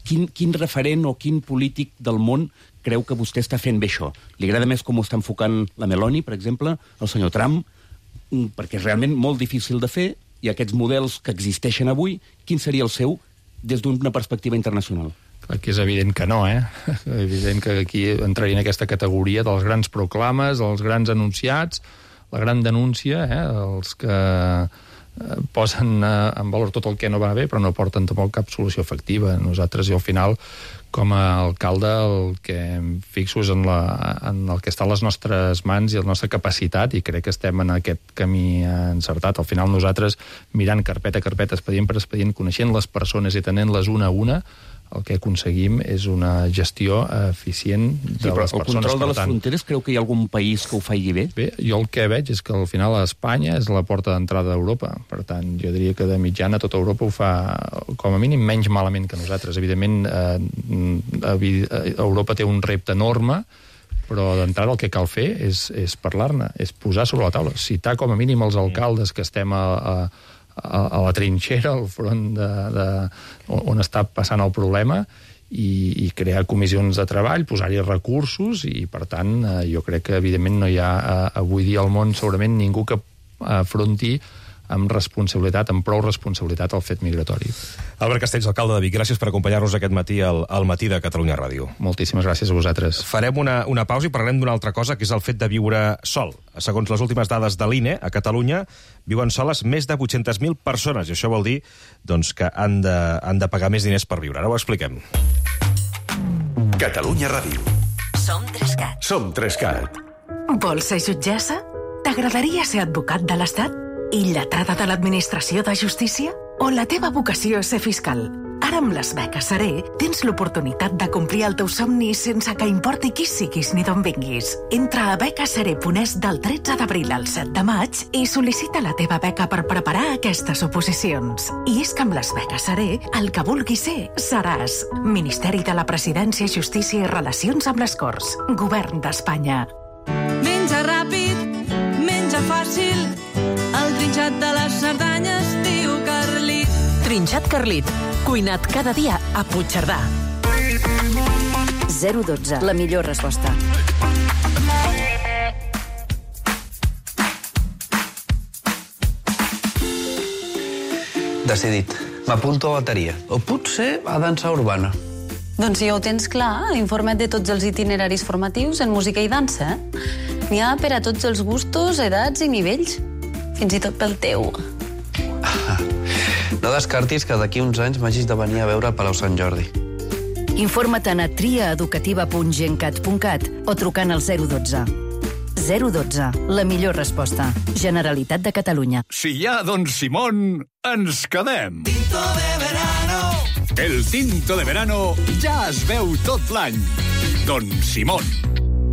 quin, quin referent o quin polític del món creu que vostè està fent bé això? Li agrada més com ho està enfocant la Meloni, per exemple, el senyor Trump, perquè és realment molt difícil de fer, i aquests models que existeixen avui, quin seria el seu des d'una perspectiva internacional? Clar que és evident que no, eh? Evident que aquí entraria en aquesta categoria dels grans proclames, dels grans anunciats, la gran denúncia, eh? Els que eh, posen eh, en valor tot el que no va bé, però no porten tampoc cap solució efectiva. Nosaltres, jo al final, com a alcalde, el que em fixo és en, la, en el que està a les nostres mans i la nostra capacitat, i crec que estem en aquest camí encertat. Al final, nosaltres, mirant carpeta a carpeta, expedient per expedient, coneixent les persones i tenent-les una a una, el que aconseguim és una gestió eficient de sí, les persones. El control de les tant, fronteres, creu que hi ha algun país que ho faci bé? Bé, jo el que veig és que al final Espanya és la porta d'entrada d'Europa. Per tant, jo diria que de mitjana tota Europa ho fa, com a mínim, menys malament que nosaltres. Evidentment, eh, Europa té un repte enorme, però d'entrada el que cal fer és, és parlar-ne, és posar sobre la taula, citar com a mínim els alcaldes que estem a, a a la trinxera, al front de, de, on està passant el problema, i, i crear comissions de treball, posar-hi recursos, i per tant jo crec que evidentment no hi ha avui dia al món segurament ningú que afronti amb responsabilitat, amb prou responsabilitat el fet migratori. Albert Castells, alcalde de Vic, gràcies per acompanyar-nos aquest matí al, al matí de Catalunya Ràdio. Moltíssimes gràcies a vosaltres. Farem una, una pausa i parlarem d'una altra cosa, que és el fet de viure sol. Segons les últimes dades de l'I N E, a Catalunya viuen soles més de vuit-centes mil persones, i això vol dir doncs, que han de, han de pagar més diners per viure. Ara ho expliquem. Catalunya Ràdio. Som Trescat. Som Trescat. Vols ser jutgessa? T'agradaria ser advocat de l'Estat? i lletrada de l'Administració de Justícia? O la teva vocació és ser fiscal? Ara amb les beques Seré tens l'oportunitat de complir el teu somni sense que importi qui siguis ni d'on vinguis. Entra a beca seré punt es del tretze d'abril al set de maig i sol·licita la teva beca per preparar aquestes oposicions. I és que amb les beques Seré, el que vulguis ser, seràs. Ministeri de la Presidència, Justícia i Relacions amb les Corts. Govern d'Espanya. Menja ràpid, menja fàcil, el trinxat de les Cerdanyes diu Carlit. Trinxat Carlit, cuinat cada dia a Puigcerdà. zero dotze, la millor resposta. Decidit. M'apunto a bateria. O potser a dansa urbana. Doncs si ja ho tens clar, l'informe té tots els itineraris formatius en música i dansa. N'hi ha per a tots els gustos, edats i nivells. Fins i tot pel teu. No descartis que d'aquí uns anys m'hagis de venir a veure al Palau Sant Jordi. Informa't a triaeducativa punt gencat punt cat o trucant al zero dotze. zero dotze, la millor resposta. Generalitat de Catalunya. Si hi ha Don Simón, ens quedem. Tinto de verano. El tinto de verano ja es veu tot l'any. Don Simón.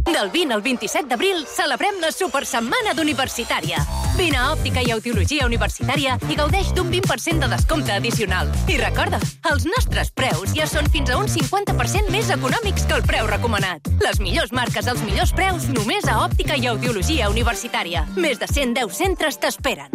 Del vint al vint-i-set d'abril celebrem la Supersetmana d'Universitària. Vine a Òptica i Audiologia Universitària i gaudeix d'un vint per cent de descompte addicional. I recorda, els nostres preus ja són fins a un cinquanta per cent més econòmics que el preu recomanat. Les millors marques als millors preus només a Òptica i Audiologia Universitària. Més de cent deu centres t'esperen.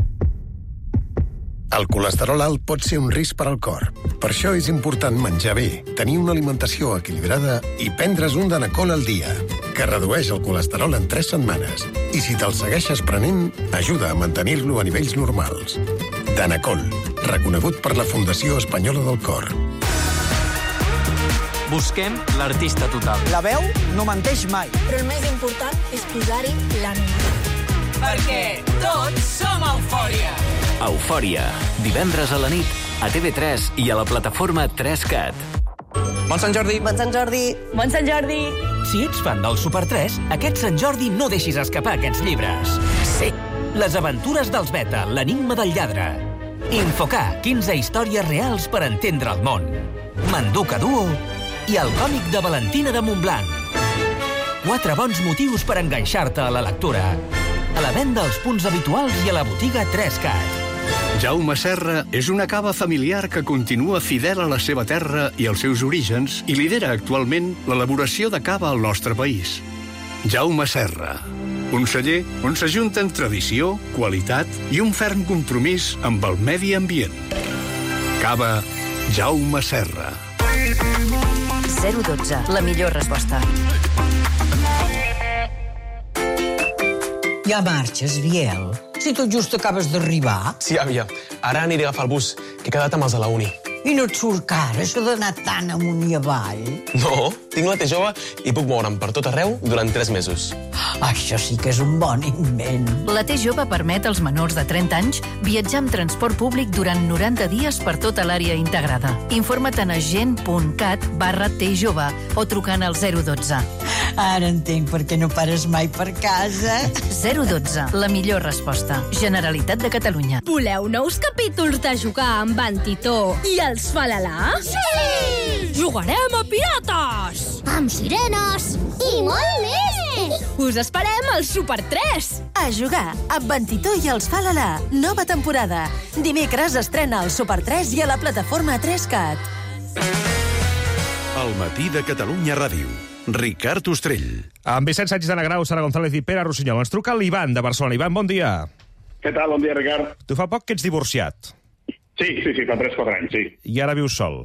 El colesterol alt pot ser un risc per al cor. Per això és important menjar bé, tenir una alimentació equilibrada i prendre's un Danacol al dia, que redueix el colesterol en tres setmanes. I si te'l segueixes prenent, ajuda a mantenir-lo a nivells normals. Danacol, reconegut per la Fundació Espanyola del Cor. Busquem l'artista total. La veu no menteix mai. Però el més important és posar-hi l'ànima. Perquè tots som Eufòria. Eufòria, divendres a la nit, a T V tres i a la plataforma tres cat. Bon Sant Jordi! Bon Sant Jordi! Bon Sant Jordi! Si ets fan del Super tres, aquest Sant Jordi no deixis escapar aquests llibres. Sí, Les aventures dels Beta, l'enigma del lladre. Infocà, quinze històries reals per entendre el món. Manduca Duo i el còmic de Valentina de Montblanc. Quatre bons motius per enganxar-te a la lectura. A la venda als punts habituals i a la botiga tres cat. Jaume Serra és una cava familiar que continua fidel a la seva terra i als seus orígens i lidera actualment l'elaboració de cava al nostre país. Jaume Serra, un celler on s'ajunten tradició, qualitat i un ferm compromís amb el medi ambient. Cava Jaume Serra. zero dotze, la millor resposta. Ja marxes, Biel? Si tot just acabes d'arribar. Sí, àvia. Ara aniré a agafar el bus, que he quedat amb els de la uni. I no et surt car, això d'anar tan amunt i avall? No, tinc la T jove i puc moure'm per tot arreu durant tres mesos. Això sí que és un bon invent. La T jove permet als menors de trenta anys viatjar amb transport públic durant noranta dies per tota l'àrea integrada. Informa't a agent.cat barra T jove o trucant al zero dotze. Ara entenc per què no pares mai per casa. zero dotze, la millor resposta. Generalitat de Catalunya. Voleu nous capítols de jugar amb en Titó i els Falalà? Sí! Jugarem a pirates! Amb sirenes i molt més! Us esperem al Super tres! A jugar amb en Titó i els Falalà. Nova temporada. Dimecres estrena el Super tres i a la plataforma tres cat. El matí de Catalunya Ràdio. Ricard Ostrell. Amb Vicent Sánchez de Negrau, Sara González i Pere Rossinyol. Ens truca l'Ivan de Barcelona. Ivan, bon dia. Què tal? Bon dia, Ricard. Tu fa poc que ets divorciat. Sí, sí, sí, fa tres o quatre anys, sí. I ara vius sol.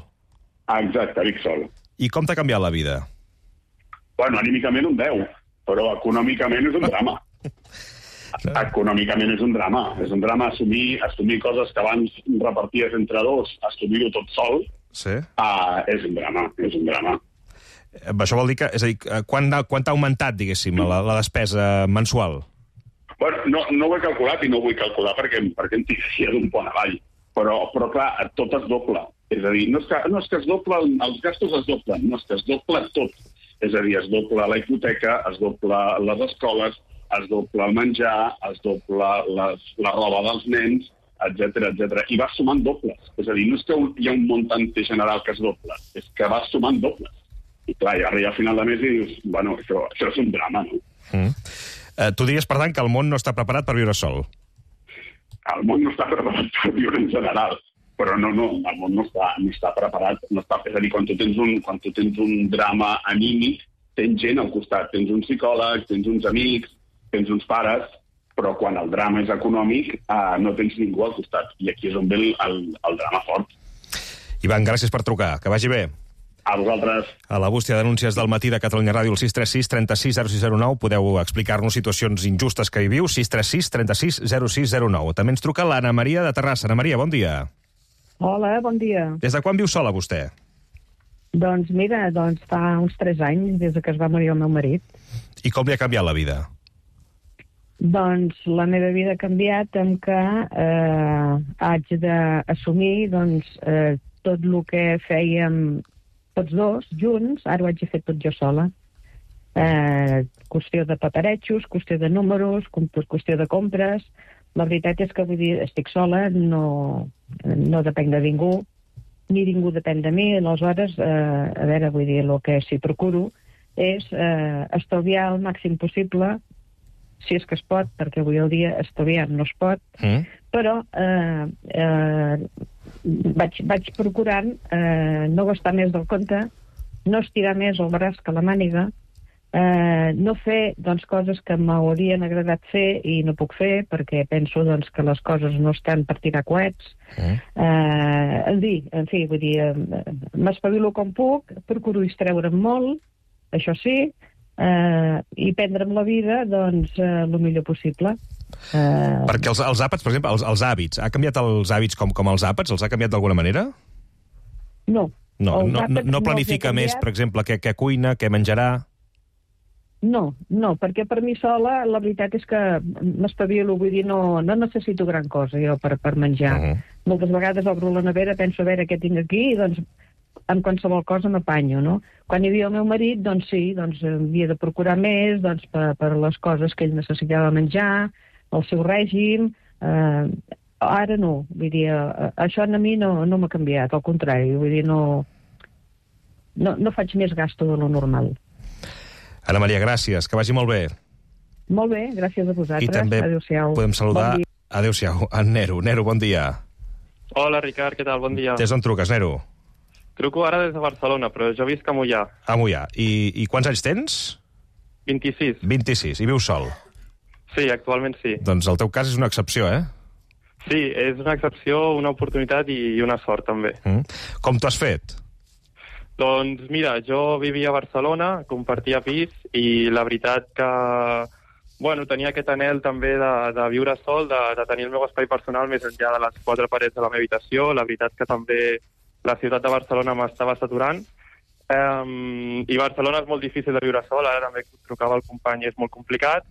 Ah, exacte, vic sol. I com t'ha canviat la vida? Bueno, anímicament un deu, però econòmicament és un drama. Econòmicament és un drama. És un drama assumir, assumir coses que abans reparties entre dos, assumir-ho tot sol. Sí. Uh, és un drama, és un drama. Això vol dir que, és a dir, quan, quan t'ha augmentat, diguéssim, la, la despesa mensual? Bueno, no, no ho he calculat i no ho vull calcular perquè, perquè em tiraria d'un pont avall. Però, però clar, tot es dobla. És a dir, no és que, no és que es dobla, els gastos es doblen, no és que es dobla tot. És a dir, es dobla la hipoteca, es dobla les escoles, es dobla el menjar, es dobla les, la roba dels nens, etcètera, etcètera. I vas sumant dobles. És a dir, no és que hi ha un muntant general que es dobla, és que vas sumant dobles. I clar, i arriba a final de mes i dius, bueno, això, això és un drama, no? Mm. Uh, tu diries, per tant, que el món no està preparat per viure sol? El món no està preparat per viure en general. Però no, no, el món no està, no està preparat. No està, és a dir, quan tu, tens un, quan tu tens un drama anímic, tens gent al costat. Tens un psicòleg, tens uns amics, tens uns pares, però quan el drama és econòmic eh, no tens ningú al costat. I aquí és on ve el, el, el drama fort. Ivan, gràcies per trucar. Que vagi bé. A vosaltres. A la bústia d'anúncies del matí de Catalunya Ràdio, el sis tres sis, trenta sis, zero sis zero nou, podeu explicar-nos situacions injustes que hi viu, sis tres sis, trenta sis, zero sis zero nou. També ens truca l'Anna Maria de Terrassa. Anna Maria, bon dia. Hola, bon dia. Des de quan viu sola, vostè? Doncs mira, doncs fa uns tres anys, des que es va morir el meu marit. I com li ha canviat la vida? Doncs la meva vida ha canviat en que eh, haig d'assumir doncs, eh, tot el que fèiem tots dos, junts, ara ho haig de fer tot jo sola. Eh, qüestió de paperetxos, qüestió de números, qüestió de compres. La veritat és que, vull dir, estic sola, no, no depenc de ningú, ni ningú depèn de mi, aleshores, eh, a veure, vull dir, el que sí procuro és eh, estalviar el màxim possible, si és que es pot, perquè avui el dia estalviar no es pot, mm. però eh, eh, vaig, vaig procurant eh, no gastar més del compte, no estirar més el braç que la màniga, eh, no fer doncs, coses que m'haurien agradat fer i no puc fer, perquè penso doncs, que les coses no estan per tirar coets. Mm. Eh, en, dir, en fi, vull dir, eh, m'espavilo com puc, procuro distreure'm molt, això sí, eh, i prendre'm la vida doncs, eh, el millor possible. Uh... Perquè els, els àpats, per exemple, els, els hàbits, ha canviat els hàbits com, com els àpats? Els ha canviat d'alguna manera? No. No, no, no, no planifica no més, per exemple, què, què cuina, què menjarà? No, no, perquè per mi sola la veritat és que m'espavilo, vull dir, no, no necessito gran cosa jo per, per menjar. Uh -huh. Moltes vegades obro la nevera, penso a veure què tinc aquí i doncs amb qualsevol cosa m'apanyo, no? Quan hi havia el meu marit, doncs sí, doncs havia de procurar més doncs, per, per les coses que ell necessitava menjar, el seu règim. Eh, ara no, vull dir, eh, això a mi no, no m'ha canviat, al contrari, vull dir, no, no, no faig més gasto de lo normal. Anna Maria, gràcies, que vagi molt bé. Molt bé, gràcies a vosaltres. I també adéu-siau. Podem saludar, bon adéu-siau, en Nero. Nero, bon dia. Hola, Ricard, què tal? Bon dia. Des d'on truques, Nero? Truco ara des de Barcelona, però jo visc a Moià. A Moià. I, i quants anys tens? vint-i-sis. vint-i-sis. I vius sol? Sí, actualment sí. Doncs el teu cas és una excepció, eh? Sí, és una excepció, una oportunitat i una sort, també. Mm. Com t'ho has fet? Doncs mira, jo vivia a Barcelona, compartia pis, i la veritat que bueno, tenia aquest anhel també de, de viure sol, de, de tenir el meu espai personal més enllà de les quatre parets de la meva habitació. La veritat que també la ciutat de Barcelona m'estava saturant. Um, I Barcelona és molt difícil de viure sol, ara també trucava el company, és molt complicat.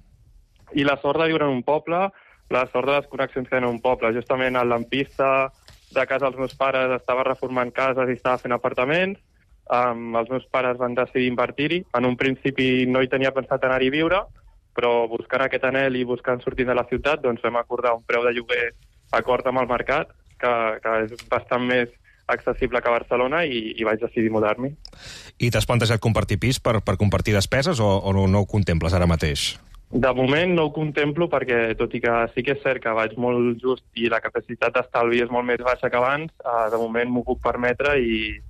I la sort de viure en un poble, la sort de les connexions que tenen en un poble. Justament el lampista de casa dels meus pares estava reformant cases i estava fent apartaments. Um, els meus pares van decidir invertir-hi. En un principi no hi tenia pensat anar-hi a viure, però buscant aquest anhel i buscant sortir de la ciutat, doncs vam acordar un preu de lloguer acord amb el mercat, que, que és bastant més accessible que a Barcelona, i, i vaig decidir mudar-m'hi. I t'has plantejat compartir pis per, per compartir despeses o, o no, no ho contemples ara mateix? De moment no ho contemplo perquè, tot i que sí que és cert que vaig molt just i la capacitat d'estalvi és molt més baixa que abans, eh, de moment m'ho puc permetre i,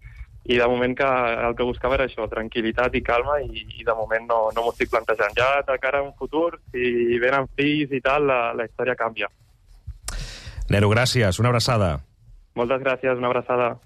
i de moment que el que buscava era això, tranquil·litat i calma, i, i de moment no, no m'ho estic plantejant. Ja de cara a un futur, si venen fills i tal, la, la història canvia. Nero, gràcies. Una abraçada. Moltes gràcies, una abraçada.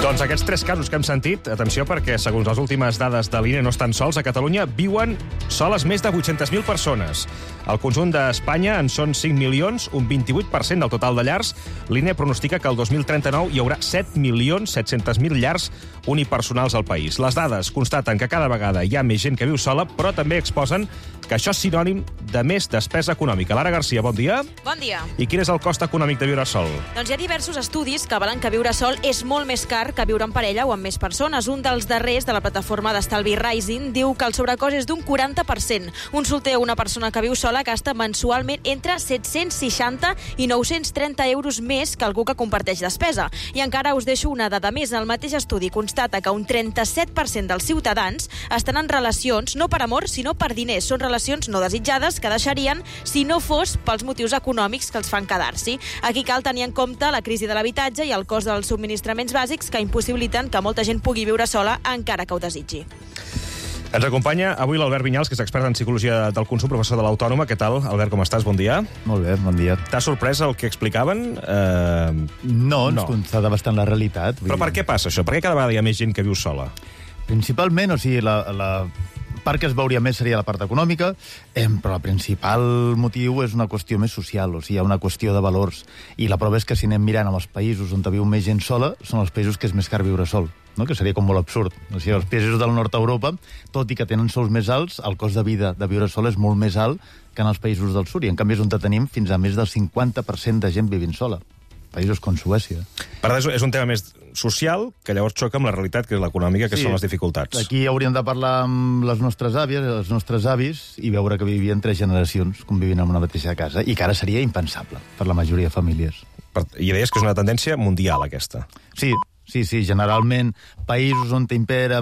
Doncs aquests tres casos que hem sentit, atenció, perquè segons les últimes dades de l'I N E no estan sols, a Catalunya viuen soles més de vuit-centes mil persones. Al conjunt d'Espanya en són cinc milions, un vint-i-vuit per cent del total de llars. L'I N E pronostica que el dos mil trenta-nou hi haurà set milions set-cents mil llars unipersonals al país. Les dades constaten que cada vegada hi ha més gent que viu sola, però també exposen que això és sinònim de més despesa econòmica. Lara Garcia, bon dia. Bon dia. I quin és el cost econòmic de viure sol? Doncs hi ha diversos estudis que avalen que viure sol és molt més car que viure en parella o amb més persones. Un dels darrers de la plataforma d'estalvi Rising diu que el sobrecost és d'un quaranta per cent. Un solter o una persona que viu sola gasta mensualment entre set-cents seixanta i nou-cents trenta euros més que algú que comparteix despesa. I encara us deixo una dada més. El mateix estudi constata que un trenta-set per cent dels ciutadans estan en relacions no per amor, sinó per diners. Són relacions no desitjades que deixarien si no fos pels motius econòmics que els fan quedar-s'hi. Aquí cal tenir en compte la crisi de l'habitatge i el cost dels subministraments bàsics que impossibiliten que molta gent pugui viure sola encara que ho desitgi. Ens acompanya avui l'Albert Vinyals, que és expert en psicologia del consum, professor de l'Autònoma. Què tal, Albert, com estàs? Bon dia. Molt bé, bon dia. T'ha sorprès el que explicaven? Uh... No, ens no. constata bastant la realitat. Però per què passa això? Per què cada vegada hi ha més gent que viu sola? Principalment, o sigui, la, la part que es veuria més seria la part econòmica, eh, però el principal motiu és una qüestió més social, o sigui, hi ha una qüestió de valors. I la prova és que si anem mirant amb els països on viu més gent sola, són els països que és més car viure sol, no? Que seria com molt absurd. O sigui, els països del nord d'Europa, tot i que tenen sous més alts, el cost de vida de viure sol és molt més alt que en els països del sud, i en canvi és on tenim fins a més del cinquanta per cent de gent vivint sola. Països com Suècia. Per tant, és un tema més social, que llavors xoca amb la realitat, que és l'econòmica, que sí, són les dificultats. Aquí hauríem de parlar amb les nostres àvies, els nostres avis, i veure que vivien tres generacions convivint en una mateixa casa, i que ara seria impensable per la majoria de famílies. I deies que és una tendència mundial, aquesta. Sí, sí, sí. Generalment, països on impera